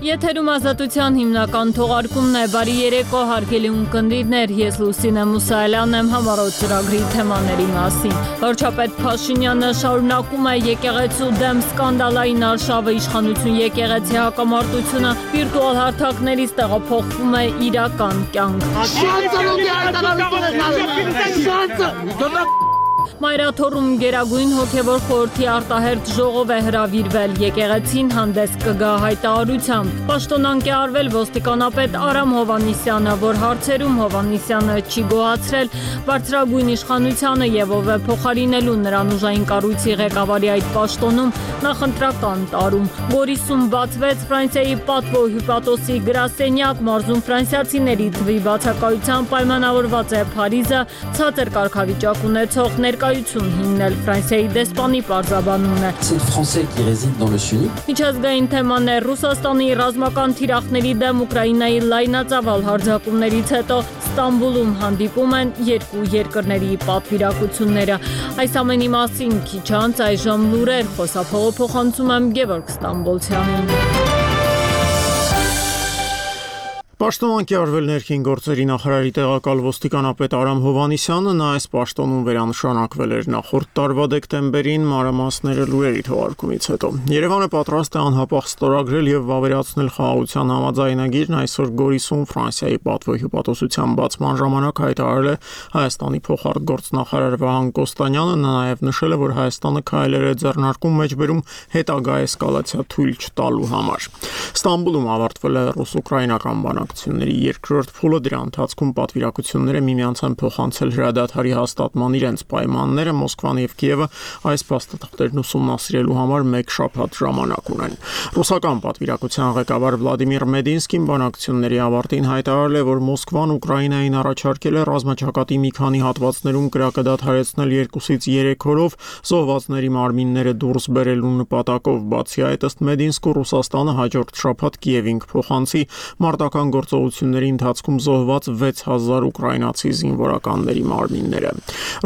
Եթերում ազատության հիմնական թողարկումն է, բարի երեկո հարգելի ունկնդիրներ, ես Լուսինե Մուսայելյանն եմ համառոտ ծրագրի թեմաների մասին։ Վարչապետ Փաշինյանը շարունակում է եկեղեցու դեմ սկանդալային արշավը, իշխանություն եկեղեցի հակամարտությունը վիրտուալ հարթակներից տեղափոխվում է իրական կյանք։ Մայրաթոռում Գերագույն հոգևոր խորհրդի արտահերթ ժողով է հրավիրվել, եկեղեցին հանդես կգա հայտարարությամբ։ Պաշտոնանկ է արվել ոստիկանապետ Արամ Հովհաննիսյանը, որ հարցերում Հովհաննիսյանը չի գոհացրել բարձրագույն իշխանությանը եւ ով է փոխարինելու նրան ուժային կառույցի ղեկավարի այդ պաշտոնում նախընտրական տարում։ Գորիսում բացվեց Ֆրանսիայի պատվո հյուպատոսի գրասենյակ, մարզում ֆրանսիացիների թվի բացակայությամբ պայմանավորված է Փարիզը, ցածր կարգավիճակ ունեցող ներկայություն հիմնել, Ֆրանսիայի դեսպանի պարզաբանումն է։ Միջազգային թեմաներ, Ռուսաստանի ռազմական թիրախների դեմ Ուկրաինայի լայնածավալ հարձակումներից հետո Ստամբուլում հանդիպում են երկու երկրների պատվիրակությունները։ Այս ամենի մասին քիչ անց այժմ լուրեր, խոսափողը փոխանցում եմ Գևորգ Ստամբոլցյանին։ Պաշտոնանկ է արվել ներքին գործերի նախարարի տեղակալ ոստիկանապետ Արամ Հովհաննիսյանը, նա այս պաշտոնում վերանշանակվել էր նախորդ տարվա դեկտեմբերին, մանրամասները լուրերի թողարկումից հետո։ Երևանը պատրաստ է անհապաղ ստորագրել եւ վավերացնել խաղաղության համաձայնագիրն, այսօր Գորիսում Ֆրանսիայի պատվո հյուպատոսության բացման ժամանակ հայտարարել է Հայաստանի փոխարտգործնախարար Վահան Կոստանյանը, նա նաեւ նշել է, որ Հայաստանը քայլեր է ձեռնարկում մեջբերում հետագա էսկալացիա թույլ չտալու համար։ Ստամբուլում ավարտվել է ռուս-ուկրաինական բանակցությունների երկրորդ փուլը, դրա ընթացքում պատվիրակությունները միմյանց են փոխանցել հրադադարի հաստատման իրենց պայմանները, Մոսկվան եւ Կիևը այս փաստաթղթերն ուսումնասիրելու համար մեկ շաբաթ ժամանակ ունեն։ Ռուսական պատվիրակության ղեկավար Վլադիմիր Մեդինսկին բանակցությունների ավարտին հայտարարել է, որ Մոսկվան Ուկրաինային առաջարկել է ռազմաճակատի մի քանի հատվածներում կրակը դադարեցնել 2-ից 3 օրով, զոհվածների մարմինները դուրս բերելու նպատակով։ Բացի այդ, ըստ Մեդինսկու, Ռուսաստանը հաջորդ շաբաթ Կիևին կփոխանցի մարտական գործողությունների ընթացքում զոհված 6000 ուկրաինացի զինվորականների մարմինները։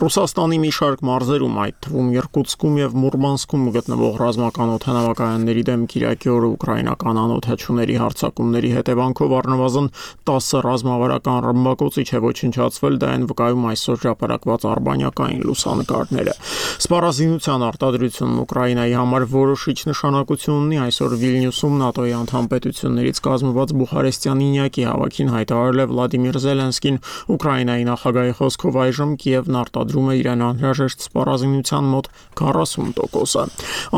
Ռուսաստանի մի շարք մարզերում, այդ թվում Իրկուտսկում եւ Մուրմանսկում գտնվող ռազմական օդանավակայանների դեմ Կիրակի օրը ուկրաինական անօդաչուների հարձակումների հետևանքով առնվազն 10 ռազմավարական ռմբակոծիչ է ոչնչացվել, դա են վկայում այսօր հրապարակված արբանյակային լուսանկարները։ Սպառազինության արտադրությունն Ուկրաինայի համար որոշիչ նշանակություն ունի, այսօր Վիլնյուսում ՆԱՏՕ-ի անդամ պետություններից կազմված Բուխարեստյան ինյակի հավաքին հայտարարել է Վլադիմիր Զելենսկին, Ուկրաինայի նախագահի խոսքով այժմ Կիևն արտադրում է իրեն անհրաժեշտ սպառազինության մոտ 40%-ը։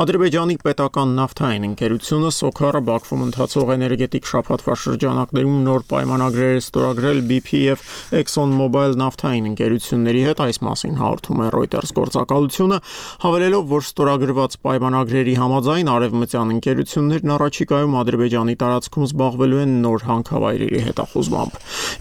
Ադրբեջանի պետական նավթային ընկերությունը Սոքարը Բաքվում ընթացող էներգետիկ շաբաթվա շրջանակներում նոր պայմանագրեր է ստորագրել BP եւ ExxonMobil նավթային ընկերությունների հետ, այս մասին հաղորդում է Reuters գործակալությունը, հավելելով, որ ստորագրված պայմանագրերի համաձայն արևմտյան ընկերություններն առաջիկայում Ադրբեջանի տարածքում զբաղվելու են նոր հանքավայրերի հետախուզմամբ։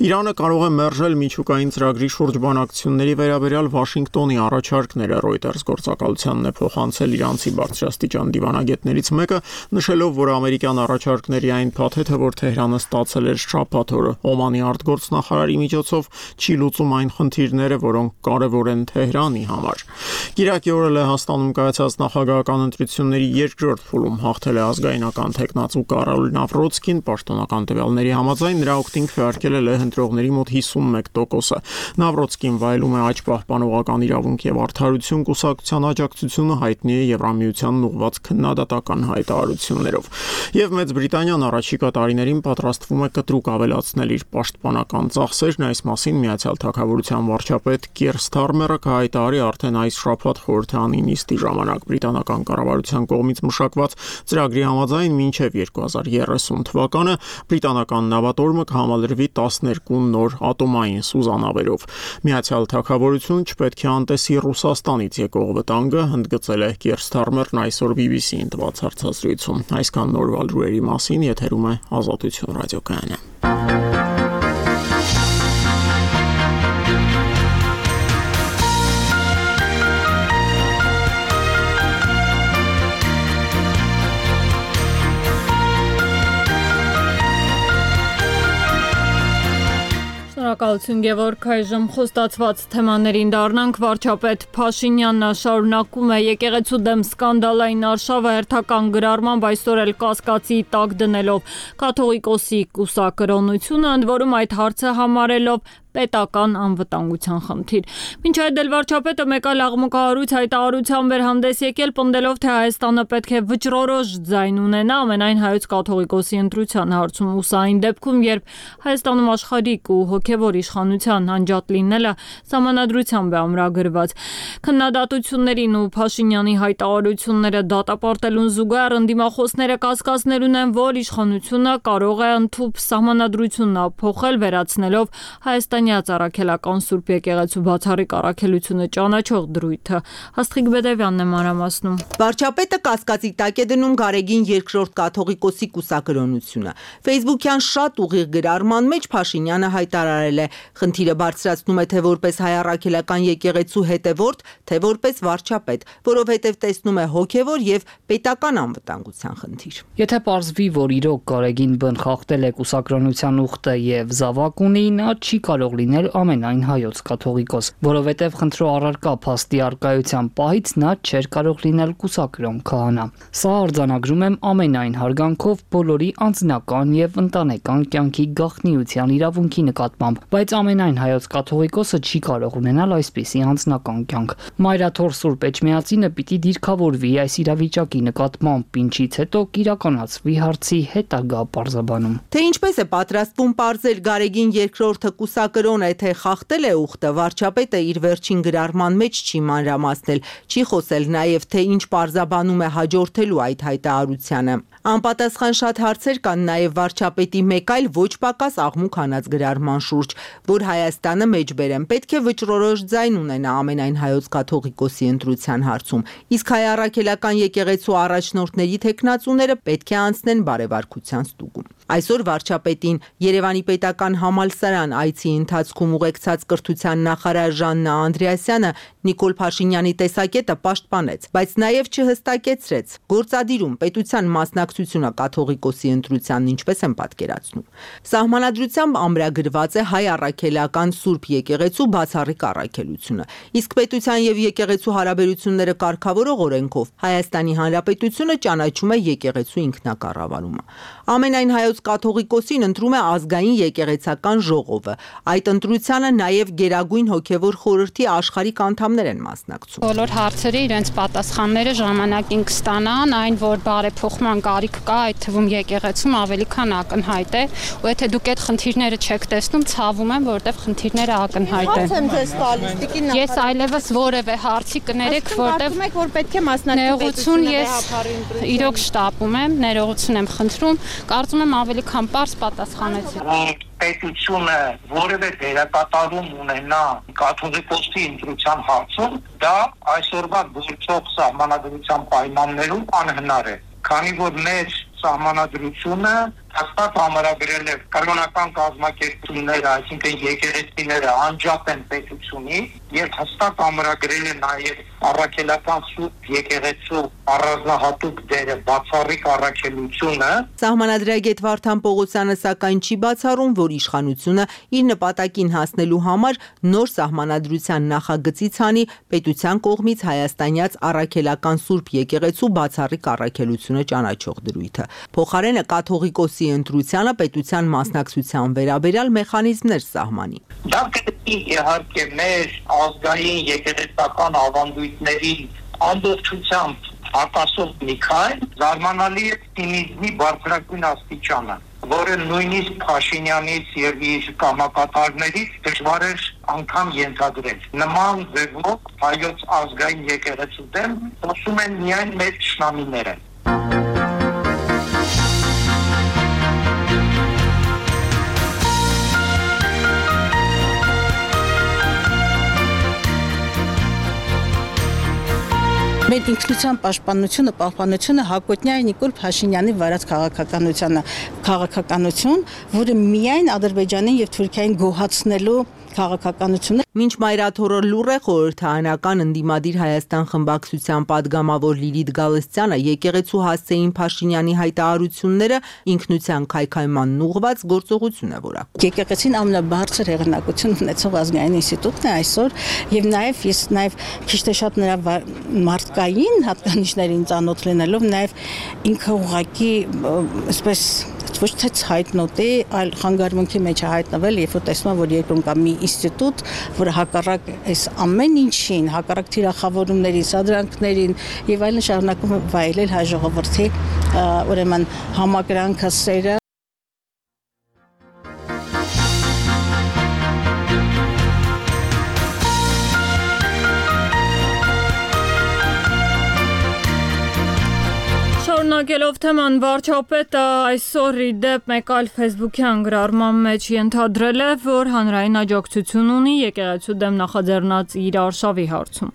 Իրանը կարող է մերժել միջուկային ծրագրի շուրջ բանակցությունների վերաբերյալ Վաշինգտոնի առաջարկները, Reuters գործակալությանն է փոխանցել իրանցի բարձրաստիճան դիվանագետներից մեկը, նշելով, որ ամերիկյան առաջարկների այն փաթեթը, որ Թեհրանը ստացել էր շաբաթ օրը Օմանի արտգործնախարարի միջոցով, չի լուծում այն խնդիրները, որոնք կարևոր են Թեհրանի համար։ Կիրակի օրը Լեհաստանում կայացած նախագահական ընտրությունների երկրորդ փուլում հաղթել է ազգայնական թեկնածու Կարոլ Նավրոցկին, պաշտոնական տվյալների համաձայն նրա օգտին քվեարկել է լեհ ընտրողների մոտ 51%-ը։ Նավրոցկին վայելում է աճ պահպանողական իրավունք եւ արդարություն կուսակցության աջակցությունը, հայտնի է Եվրամիությանն ուղղված քննադատական հայտարարություններով։ Եվ Մեծ Բրիտանիան առաջիկա տարիներին պատրաստվում է կտրուկ ավելացնել իր պաշտպանական ծախսերն, այս մասին Միացյալ Թագավորության վարչապետ Կիեր Սթարմերը կհայտարարի արդեն այս շաբաթ խորհրդարանի նիստի ժամանակ։ Բրիտանական կառավարության կողմից մշակված ծրագրի համաձայն մինչև 2030 թվականը բրիտանական նավատորմը կհամալրվի 12 նոր ատոմային սուզանավերով։ Միացյալ Թագավորությունը չպետք է անտեսի Ռուսաստանից եկող վտանգը, ընդգծել է Կիեր Սթարմերն այսօր BBC-ին տված հարցազրույցում։ Այսքան նորվա լուրերի մասին, եթերում է Ազատություն ռադիոկայանը։ Շնորհակալություն Գևորգ, այժմ խոստացված թեմաներին դառնանք։ Վարչապետ Փաշինյանը շարունակում է եկեղեցու դեմ սկանդալային արշավը հերթական գրառմամբ այսօր էլ կասկածի տակ դնելով կաթողիկոսի կուսակրոնությունը, ընդ որում այդ հարցը համարելով պետական անվտանգության խնդիր։ Մինչ այդ էլ վարչապետը մեկ այլ աղմուկահարույց հայտարարությամբ էր հանդես եկել, պնդելով, թե Հայաստանը պետք է վճռորոշ ձայն ունենա ամենայն հայոց կաթողիկոսի ընտրության հարցում, ու սա այն դեպքում, երբ Հայաստանում աշխարհիկ ու հոգևոր իշխանության անջատ լինելը սահմանադրությամբ է ամրագրված։ Քննադատություններին ու Փաշինյանի հայտարարությունները դատապարտելուն զուգահեռ ընդդիմախոսները կասկածներ ունեն, որ իշխանությունը կարող է ընդհուպ սահմանադրությունն փոխել, վերացնելով Հայաստանի առաքելական Սուրբ եկեղեցու բացառիկ առաքելությունը ճանաչող դրույթը։ Աստղիկ Բեդևյանն է մանրամասնում։ Վարչապետը կասկածի տակ է դնում Գարեգին երկրորդ կաթողիկոսի կուսակրոնությունը։ Facebook-յան շատ ուղիղ գրառման մեջ Փաշինյանը հայտարարել է. խնդիրը բարձրացնում է թե որպես հայ առաքելական եկեղեցու հետևորդ, թե որպես վարչապետ, որովհետև տեսնում է հոգևոր եւ պետական անվտանգության խնդիր։ Եթե պարզվի, որ իրոք Գարեգին բն խախտել է կուսակրոնության ուխտը եւ զավակ ունի, նա չի կարող լինել ամենայն հայոց կաթողիկոս, որովհետև խնդրո առարկա փաստի արկայության պահից նա չէր կարող լինել կուսակրոն քահանա։ Սա արձանագրում եմ ամենայն հարգանքով բոլորի անձնական եւ ընտանեկան կյանքի գաղտնիության իրավունքի նկատմամբ, բայց ամենայն հայոց կաթողիկոսը չի կարող ունենալ այսպիսի անձնական կյանք։ Մայրաթոր Սուրբ Էջմիածինը պիտի դիրքավորվի այս իրավիճակի նկատմամբ, ինչից հետո կիրականացվի հարցի հետագա պարզաբանում։ Թե ինչպես է պատրաստվում պարզել Գարեգին երկրորդը կուսակրոն է, թե խախտել է ուխտը, վարչապետը իր վերջին գրառման մեջ չի մանրամասնել, չի խոսել նաև, թե ինչ պարզաբանում է հաջորդելու այդ հայտարարությանը։ Անպատասխան շատ հարցեր կան նաև վարչապետի մեկ այլ ոչ պակաս աղմուկ հանած գրառման շուրջ, որ Հայաստանը մեջբերեմ պետք է վճռորոշ ձայն ունենա ամենայն հայոց կաթողիկոսի ընտրության հարցում, իսկ հայ առաքելական եկեղեցու առաջնորդների թեկնածուները պետք է անցնեն բարեվարկության ստուգում։ Այսօր վարչապետին Երևանի պետական համալսարան այցի ընթացքում ուղեկցած կրթության նախարար Ժաննա Անդրեասյանը Նիկոլ Փաշինյանի տեսակետը պաշտպանեց, բայց նաև չհստակեցրեց գործադիրում պետության մասնակցությունը կաթողիկոսի ընտրությանն ինչպես են պատկերացնում։ Սահմանադրությամբ ամրագրված է հայ առաքելական Սուրբ եկեղեցու բացառիկ առաքելությունը, իսկ պետության եւ եկեղեցու հարաբերությունները կարգավորող օրենքով Հայաստանի Հանրապետությունը ճանաչում է եկեղեցու ինքնակառավարումը։ Ամենայն հայոց կաթողիկոսին ընտրում է ազգային եկեղեցական ժողովը։ Այդ ընտրությանը նաև Գերագույն հոգևոր խորհրդի աշխարհիկ անդամներ են մասնակցում։ Բոլոր հարցերի իրենց պատասխանները ժամանակին կստանան, այն որ բարեփոխման կարիք կա, այդ թվում եկեղեցում ավելի քան ակնհայտ է, ու եթե դուք այդ խնդիրները չեք տեսնում, ցավում եմ, որովհետև խնդիրները ակնհայտ են։ Ես այլևս որևէ հարցի կներեք, որովհետև որ պետք է մասնակցություն ես իրոք շտապում եմ, ներողություն եմ խնդրում, կարծում եմ ավելի քան պարզ պատասխանեցի։ Պետությունը որևէ դերակատարում ունենա կաթողիկոսի ընտրության հարցում, դա այսօրվա գործող սահմանադրության պայմաններում անհնար է, քանի որ մեր սահմանադրությունը հաստատ համարագրել է կրոնական կազմակերպությունները, այսինքն եկեղեցիները անջատ են պետությունից, եւ հստակ համարագրել է նաեւ առաքելական Սուրբ եկեղեցու առանձնահատուկ դերը բացառիկ առաքելությունը։ Սահմանադրագետ Վարդան Պողոսյանը սակայն չի բացառում, որ իշխանությունը իր նպատակին հասնելու համար նոր սահմանադրության նախագծի ցանի պետության կողմից հայաստանյաց առաքելական Սուրբ եկեղեցու բացառիկ առաքելությունը ճանաչող դրույթը։ Փոխարենը կաթողիկոսի ընտրությանը պետության մասնակցության վերաբերյալ մեխանիզմներ սահմանի։ Դա կգտնի իհարկե մեր ազգային եկեղեցական ավանդույթների ամբողջությամբ հակասող մի քայլ, զարմանալի է ցինիզմի բարձրագույն աստիճանը, որը նույնիսկ Փաշինյանից եւ իր կամակատարներից դժվար էր անգամ ենթադրել։ Նման ձևով հայոց ազգային եկեղեցու դեմ խոսում են միայն մեր ճշնամիները։ Մեր ինքնության պահպանությունը հակոտնյա է Նիկոլ Փաշինյանի վարած քաղաքականություն, որը միայն Ադրբեջանին եւ Թուրքիային գոհացնելու քաղաքականությունը։ Մինչ մայրաթորը լուռ է, խորհրդարանական ընդդիմադիր Հայաստան խմբակցության падգամավոր Լիլիթ Գալստյանը եկեղեցու հասցեին Փաշինյանի հայտարարությունները ինքնության քայքայմանն ուղղված գործողություն է որակում։ Եկեղեցին ամենաբարձր հեղինակություն ունեցող ազգային ինստիտուտն է այսօր եւ ես քիչ թե շատ նրա մարդկային հատկանիշներին ծանոթ լինելով նաեւ ինքը ուղղակի այսպես ոչ թե հայտնոտ է, այլ խանգարումքի մեջ է հայտնվել, երբ որ տեսնում եմ, որ երկրում կա մի ինստիտուտ, որը հակառակ այս ամեն ինչին, հակառակ թիրախավորումներին, սադրանքներին եւ այլն շարունակում է վայելել հայ ժողովրդի ուրեմն համակրանքը, սերը։ Շարունակելով թեման, վարչապետը այսօր ի դեպ մեկ այլ ֆեյսբուքյան գրառման մեջ ենթադրել է, որ հանրային աջակցություն ունի եկեղեցու դեմ նախաձեռնած իր արշավի հարցում։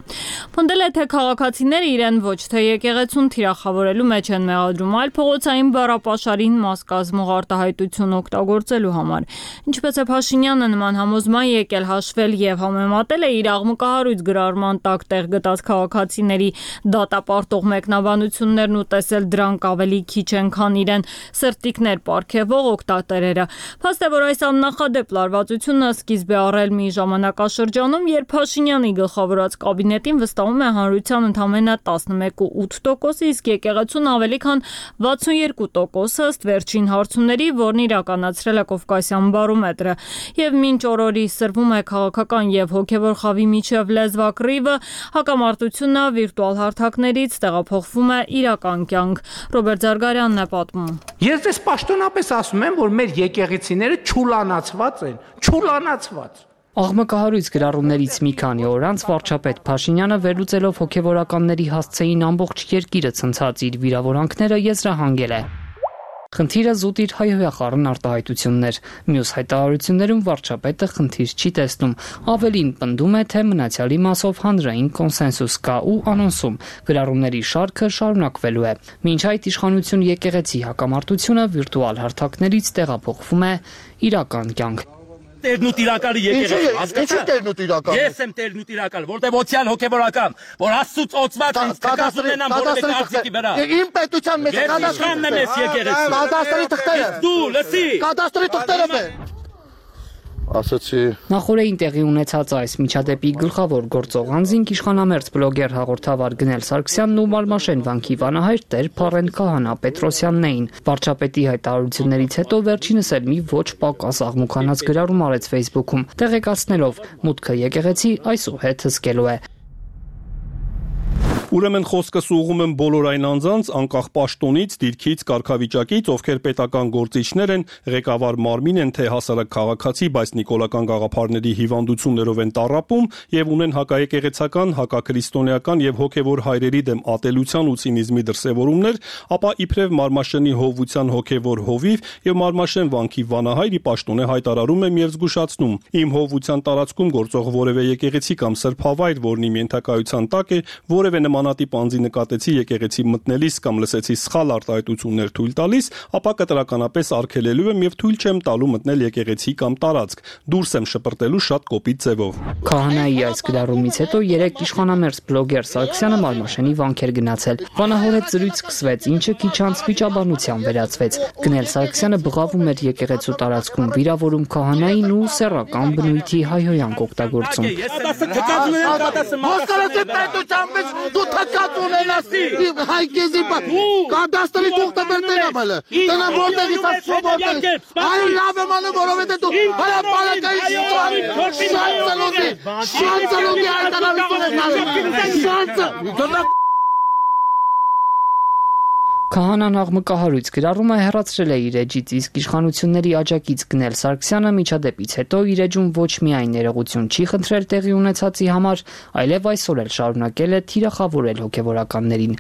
Պնդել է, թե քաղաքացիները իրեն ոչ թե եկեղեցուն թիրախավորելու մեջ են մեղադրում, այլ փողոցային բառապաշարին մաս կազմող արտահայտություն օգտագործելու համար։ Ինչպես է Փաշինյանը նման համոզման եկել հաշվել եւ համեմատել է իր աղմկահարույց գրառման տակ տեղ գտած քաղաքացիների դատապարտող մեկնաբանություններն ու տեսել դրանք ավելի քիչ են, քան իրեն սրտիկներ պարգևող օգտատերերը։ Փաստ է, որ այս աննախադեպ լարվածությունը սկիզբ է առել մի ժամանակաշրջանում, երբ Փաշինյանի գլխավորած կաբինետին վստահում է հանրության ընդամենը 11.8%, իսկ եկեղեցուն ավելի քան 62% ըստ վերջին հարցումների, որն իրականացրել է Կովկասյան բարոմետրը։ Եվ մինչ օրորի սրվում է քաղաքական եւ հոգեվոր խավի միջև լեզվակռիվը, հակամարտությունը վիրտուալ հարթակներից տեղափոխվում է իրական կյանք։ Ռոբերտ Զարգարյանն է պատմում։ Ես դες պաշտոնապես ասում եմ, որ մեր եկեղեցիները չուլանացված են, չուլանացված։ Աղմկահարույց գրառումներից մի քանի օր անց վարչապետ Փաշինյանը վերլուծելով հոգևորականների հասցեին ամբողջ երկիրը ցնցած իր վիրավորանքները եզրահանգել է։ Խնդիրը զուտ իր հայհոյախառն արտահայտությունն էր։ Մյուս հայտարարություններում վարչապետը խնդիր չի տեսնում, ավելին պնդում է, թե մնացյալի մասով հանրային կոնսենսուս կա ու անոնսում գրառումների շարքը շարունակվելու է։ Մինչ այդ իշխանություն եկեղեցի հակամարտությունը վիրտուալ հարթակներից տեղափոխվում է իրական կյանք։ Տերն ու տիրակալի եկեղեցի, հասկացա՞ր։ Տերն ու տիրակալը։ Ես եմ տերն ու տիրակալը, որտեղ օցիալ հոգևորական, որ Աստծուց օծված ինձ կգազում ենամ որտեղ արծիքի վրա։ Իմ պետության մեջ կադաստրի ես եկեղեցի։ Կադաստրի թղթերը։ Դու լսի։ Կադաստրի թղթերը բե։ Ասացի Նախորդին տեղի ունեցած այս միջադեպի գլխավոր գործող անձին իշխանամերձ բլոգեր հաղորդավար Գնել Սարգսյանն ու Մարմաշեն վանքի վանահայր Տեր Փարեն Քահանա Պետրոսյանն էին։ Վարչապետի հայտարարություններից հետո վերջինս էլ մի ոչ պակաս աղմուկանաց գրառում արեց Facebook-ում, տեղեկացնելով մուտքը եկեղեցի այսուհետ հսկելու է։ Ուրեմն խոսքս ուղղում եմ բոլոր այն անձանց, անկախ պաշտոնից, դիրքից, կարգավիճակից, ովքեր պետական գործիչներ են, ղեկավար մարմին են, թե հասարակ քաղաքացի, բայց նիկոլական գաղափարների հիվանդություններով են տառապում եւ ունեն հակաեկեղեցական, հակաքրիստոնեական եւ հոգեվոր հայրերի դեմ ատելության ու ցինիզմի դրսեւորումներ, ապա իբրև Մարմաշենի հովության հոգեվոր հովիվ եւ Մարմաշեն վանքի վանահայրի պաշտոնե հայտարարում եմ եւ զգուշացնում. իմ հովության տարածքում գործող որևէ եկեղեցի կամ սրբավայր, որն իմ ենթակայության տակ է, որևէ նմանատիպ անձի նկատեցի եկեղեցի մտնելիս կամ լսեցի սխալ արտահայտություններ թույլ տալիս, ապա կտրականապես արգելելու եմ եւ թույլ չեմ տալու մտնել եկեղեցի կամ տարածք։ Դուրս եմ շպրտելու շատ կոպիտ ձևով։ Քահանայի այս գրառումից հետո երեք իշխանամերձ բլոգեր Սարգսյանը Մարմաշենի վանք էր գնացել։ Վանահորետ զրույց սկսվեց, ինչը քիչ անց վիճաբանության վերածվեց։ Գնել Սարգսյանը բղավում էր եկեղեցու տարածքում, վիրավորում քահանային ու սեռական բնույթի հայհոյանք օգտագործում։ Դու թակած ունենաս հայկեզի կադաստրի թուղթը բերտեն ամալը տնա որտեղից ասոբորդել այո լավ եմ անում որովհետև դու հրապարակային շանցալոդի հայտարարություն ես շանցը Քահանան աղմկահարույց գրառումը հեռացրել է իր էջից, իսկ իշխանությունների աջակից Գնել Սարգսյանը միջադեպից հետո իր էջում ոչ միայն ներողություն չի խնդրել տեղի ունեցածի համար, այլև այսօր էլ շարունակել է թիրախավորել հոգևորականներին։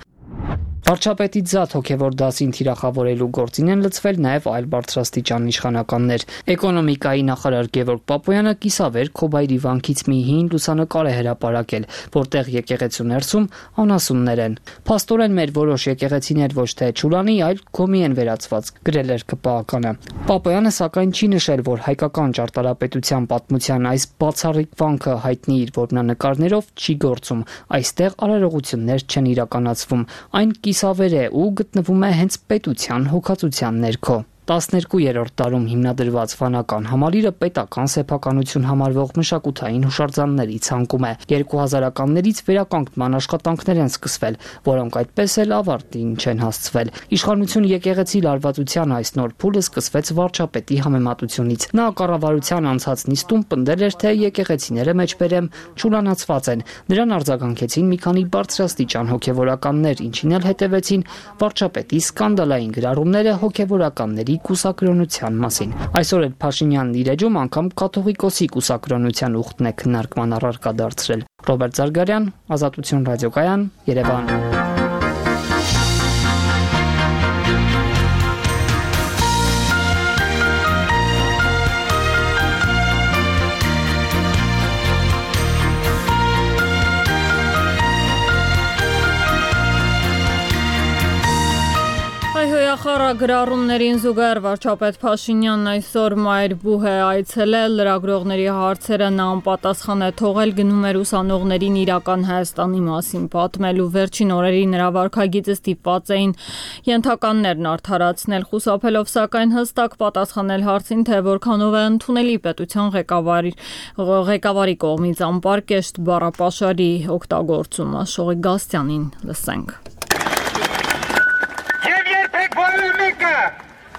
Վարչապետի զատ հոգևոր դասին թիրախավորելու գործին են լցվել նաև այլ բարձրաստիճան իշխանականներ։ Էկոնոմիկայի նախարար Գևորգ Պապոյանը կիսավեր Քոբայրի վանքից մի հին լուսանկար է հրապարակել, որտեղ եկեղեցու ներսում անասուններ են։ Փաստորեն մեր որոշ եկեղեցիներ ոչ թե ճուլանի, այլ գոմի են վերածված, գրել էր ԿՊԱ-կանը։ Պապոյանը սակայն չի նշել, որ հայկական ճարտարապետության պատմության այս բացառիկ վանքը հայտնի իր որմնանկարներով չի գործում։ Այստեղ արարողություններ չեն իրականացվում։ Այն կիսավեր է ու գտնվում է հենց պետության հոգացության ներքո։ 12-րդ դարում հիմնադրված վանական համալիրը պետական սեփականություն համարվող մշակութային հուշարձանների ցանկում է։ 2000-ականներից վերականգնման աշխատանքներ են սկսվել, որոնք այդպես էլ ավարտին չեն հասցվել։ Իշխանություն եկեղեցի լարվածության այս նոր փուլը սկսվեց վարչապետի համեմատությունից։ Նա կառավարության անցած նիստում պնդել էր, թե եկեղեցիները մեջբերեմ ճուլանացված են։ Նրան արձագանքեցին մի քանի բարձրաստիճան հոգևորականներ, ինչին էլ հետևեցին վարչապետի սկանդալային գրառումները հոգևորականների կուսակրոնության մասին։ Այսօր էլ Փաշինյանն իր էջում անգամ կաթողիկոսի կուսակրոնության ուխտն է քննարկման առարկա դարձրել։ Ռոբերտ Զարգարյան, Ազատություն ռադիոկայան, Երևան։ Խառագրառումներին զուգահեռ վարչապետ Փաշինյանն այսօր Մայրբուհ է այցելել, լրագրողների հարցերը նա անպատասխան է թողել, գնում էր ուսանողներին իրական Հայաստանի մասին պատմելու։ Վերջին օրերի նրա վարքագիծը ստիպված էին ենթականներն արդարացնել, խուսափելով սակայն հստակ պատասխանել հարցին, թե որքանով է ընդունելի պետության ղեկավարի կողմից անպարկեշտ բառապաշարի օգտագործումը։ Շողիկ Գաստյանին լսենք։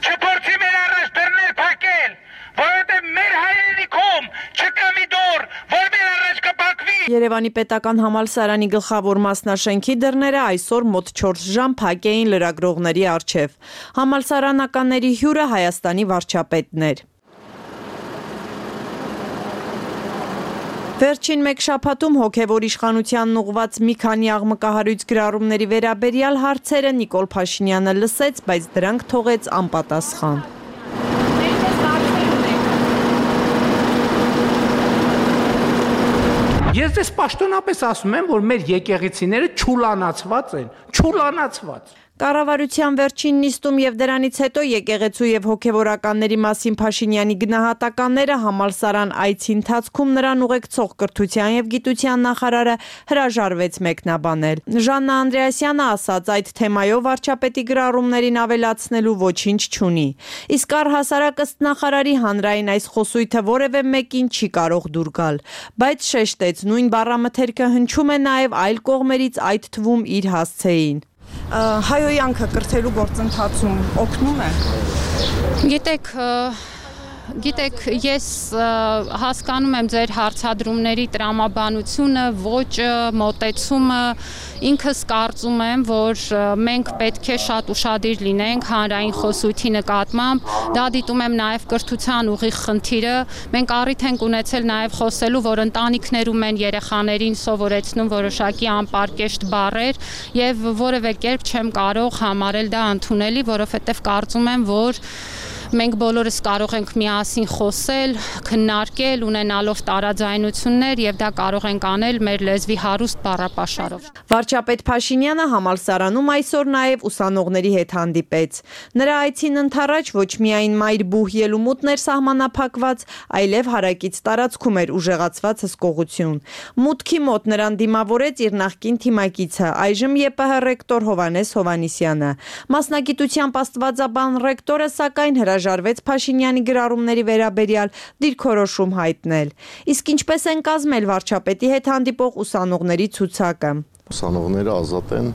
Չփորձի մեր առաջ դռներ փակել, որովհետև մեր հայրենիքում չկա մի դուռ, որ մեր առաջ կփակվի։ Երևանի պետական համալսարանի գլխավոր մասնաշենքի դռները այսօր մոտ 4 ժամ փակ էին լրագրողների առջև։ Համալսարանականների հյուրը Հայաստանի վարչապետն էր։ Վերջին մեկ շաբաթում հոգևոր իշխանությանն ուղված մի քանի աղմկահարույց գրառումների վերաբերյալ հարցերը Նիկոլ Փաշինյանը լսեց, բայց դրանք թողեց անպատասխան։ Ես դες պաշտոնապես ասում եմ, որ մեր եկեղեցիները ճուլանացված են, ճուլանացված։ Կառավարության վերջին նիստում եւ դրանից հետո եկեղեցու եւ հոգեվորականների մասին Փաշինյանի գնահատականները համալսարան այցի ընթացքում նրան ուղեկցող կրթության եւ գիտության նախարարը հրաժարվեց մեկնաբանել։ Ժաննա Անդրեասյանը ասաց, այդ թեմայով վարչապետի գրառումներին ավելացնելու ոչինչ չունի։ Իսկ առհասարակ ըստ նախարարի հանրային այս խոսույթը որևէ մեկին չի կարող դուր գալ, բայց շեշտեց, նույն բառամթերքը հնչում է նաեւ այլ կողմերից, այդ թվում իր հասցեին։ Հայոյանքը կրթելու գործընթացում օգնում է։ Գիտեք, ես հասկանում եմ ձեր հարցադրումների տրամաբանությունը, ոճը, մոտեցումը, ինքս կարծում եմ, որ մենք պետք է շատ ուշադիր լինենք հանրային խոսույթի նկատմամբ, դա դիտում եմ նաև կրթության ուղիղ խնդիրը, մենք առիթ ենք ունեցել նաև խոսելու, որ ընտանիքներում են երեխաներին սովորեցնում որոշակի անպարկեշտ բառեր եւ որևէ կերպ չեմ կարող համարել դա ընդունելի, որովհետեւ կարծում եմ, որ մենք բոլորս կարող ենք միասին խոսել, քննարկել, ունենալով տարաձայնություններ եւ դա կարող ենք անել մեր լեզվի հարուստ բառապաշարով։ Վարչապետ Փաշինյանը համալսարանում այսօր նաեւ ուսանողների հետ հանդիպեց։ Նրա այցին ընթառաջ ոչ միայն Մայրբուհ ելումուտներ սահմանափակված, այլև հարակից տարածքում էր ուժեղացված հսկողություն։ Մուտքի մոտ նրան դիմավորեց իր նախկին թիմակիցը, այժմ ԵՊՀ ռեկտոր Հովհաննես Հովհաննիսյանը։ Մասնագիտությամբ աստվածաբան ռեկտորը սակայն հրաժարվեց Փաշինյանի գրառումների վերաբերյալ դիրքորոշում հայտնել։ Իսկ ինչպես են կազմել վարչապետի հետ հանդիպող ուսանողների ցուցակը։ Ուսանողները ազատ են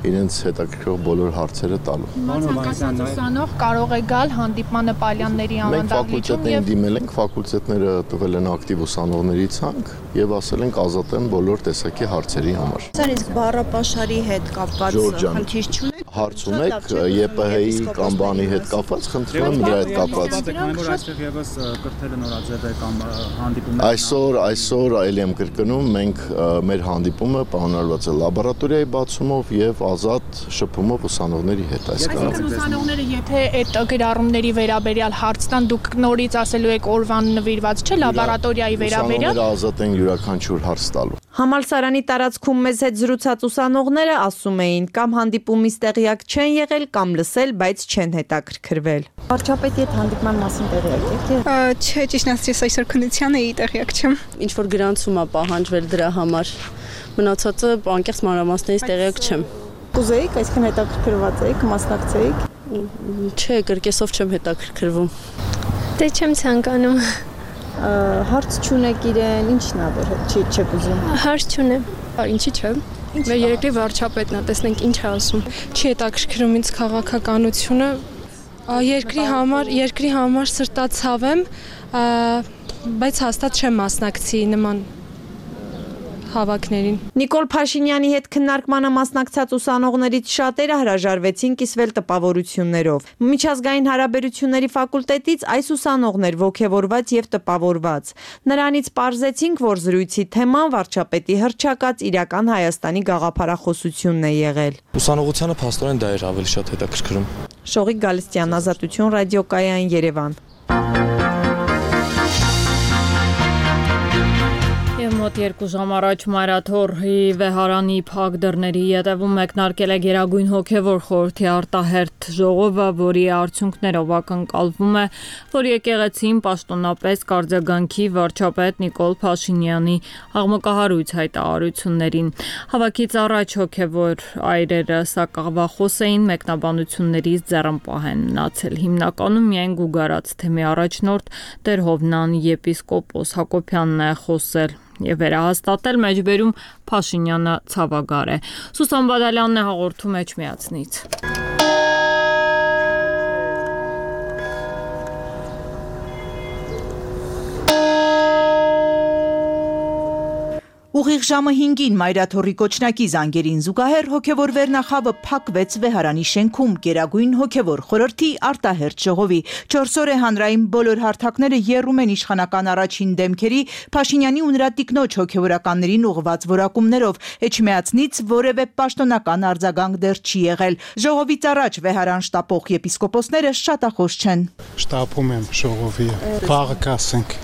իրենց հետաքրքրող բոլոր հարցերը տալու։ Ցանկացած ուսանող կարող է գալ հանդիպմանը Պալյանների անվանդակիչում եւ դիմել ենք, ֆակուլտետները տվել են ակտիվ ուսանողների ցանկ եւ ասել ենք ազատ են բոլոր տեսակի հարցերի համար։ Իսկ բառապաշարի հետ կապված խնդիր չունեք։ հարց ունեք ԵՊՀ-ի կամ բանի հետ կապված, խնդրում եմ նրա հետ կապված։ Որ այստեղ եւս կրթելը նորաձև է կամ հանդիպումներ։ Այսօր այլ եմ կրկնում, մենք մեր հանդիպումը պայմանավորված է լաբորատորիայի բացումով եւ ազատ շփումով ուսանողների հետ այս կառավարության ուսանողները եթե այդ գրառումների վերաբերյալ հարց տան, դուք նորից ասելու եք օրվան նվիրված չէ լաբորատորիայի վերաբերյալ։ Ուսանողները ազատ են յուրաքանչյուր հարց տալու։ Համալսարանի տարածքում մեզ հետ զրուցած ուսանողները ասում էին կամ հանդիպումից տեղյակ չեն եղել կամ լսել, բայց չեն հետաքրքրվել։ Վարչապետի հետ հանդիպման մասին տեղյակ եք։ Չէ, ճիշտ ասած այսօր քննության էի տեղյակ չեմ։ Ինչ որ գրանցում է պահանջվել դրա համար։ Մնացածը անկեղծ մանրամասներից տեղյակ չեմ։ Կուզեիք, այսքան հետաքրքրված եք, մասնակցեիք։ Չէ, կրկեսով չեմ հետաքրքրվում։ Դե չեմ ցանկանում։ Հարց չունեք իրեն, ինչն է որ չեք ուզում։ Հարց չունեմ։ Ինչի՞ չէ։ Մեր երկրի վարչապետն է, տեսնենք ինչ է ասում։ Չի հետաքրքրում ինձ քաղաքականությունը։ Երկրի համար սրտացավ եմ, բայց հաստատ չեմ մասնակցի նման հավաքներին։ Նիկոլ Փաշինյանի հետ քննարկմանը մասնակցած ուսանողներից շատերը հրաժարվեցին կիսվել տպավորություններով։ Միջազգային հարաբերությունների ֆակուլտետից այս ուսանողն էր ոգևորված եւ տպավորված։ Նրանից պարզեցինք, որ զրույցի թեման վարչապետի հռչակած իրական Հայաստանի գաղափարախոսությունն է եղել։ Ուսանողությանը փաստորեն դա էր ավելի շատ հետաքրքրում։ Շողիկ Գալստյան, Ազատություն, ռադիոկայան, Երևան։ Մոտ 2 ժամ առաջ Մարաթոռի վեհարանի փակ դռների ետևում մեկնարկել է Գերագույն հոգևոր խորհրդի արտահերթ ժողովը, որի արդյունքներով ակնկալվում է, որ եկեղեցին պաշտոնապես կարձագանքի վարչապետ Նիկոլ Փաշինյանի աղմկահարույց հայտարարություններին։ Հավաքից առաջ հոգևոր այրերը սակավախոս էին, մեկնաբանություններից ձեռնպահ են մնացել։ Հիմնականում միայն գուգարած թեմի առաջնորդ Տեր Հովնան եպիսկոպոս Հակոբյանն է խոսել եւ վերահաստատել մեջբերում Փաշինյանը ցավագար է։ Սուսան Բադալյանն է հաղորդում Էջմիածնից։ Ուղիղ ժամը 5-ին Մայրաթոռի կոչնակի զանգերին զուգահեռ հոգևոր վերնախավը փակվեց վեհարանի շենքում Գերագույն հոգևոր խորհրդի արտահերթ ժողովի։ 4 օր է հանրային բոլոր հարթակները եռում են իշխանական առաջին դեմքերի Փաշինյանի ու նրա տիկնոջ հոգևորականներին ուղղված որակումներով։ Էջմիածնից որևէ պաշտոնական արձագանք դեռ չի եղել։ Ժողովից առաջ վեհարան շտապող եպիսկոպոսները շատախոս չեն։ Շտապում եմ ժողովի, վաղը կասենք։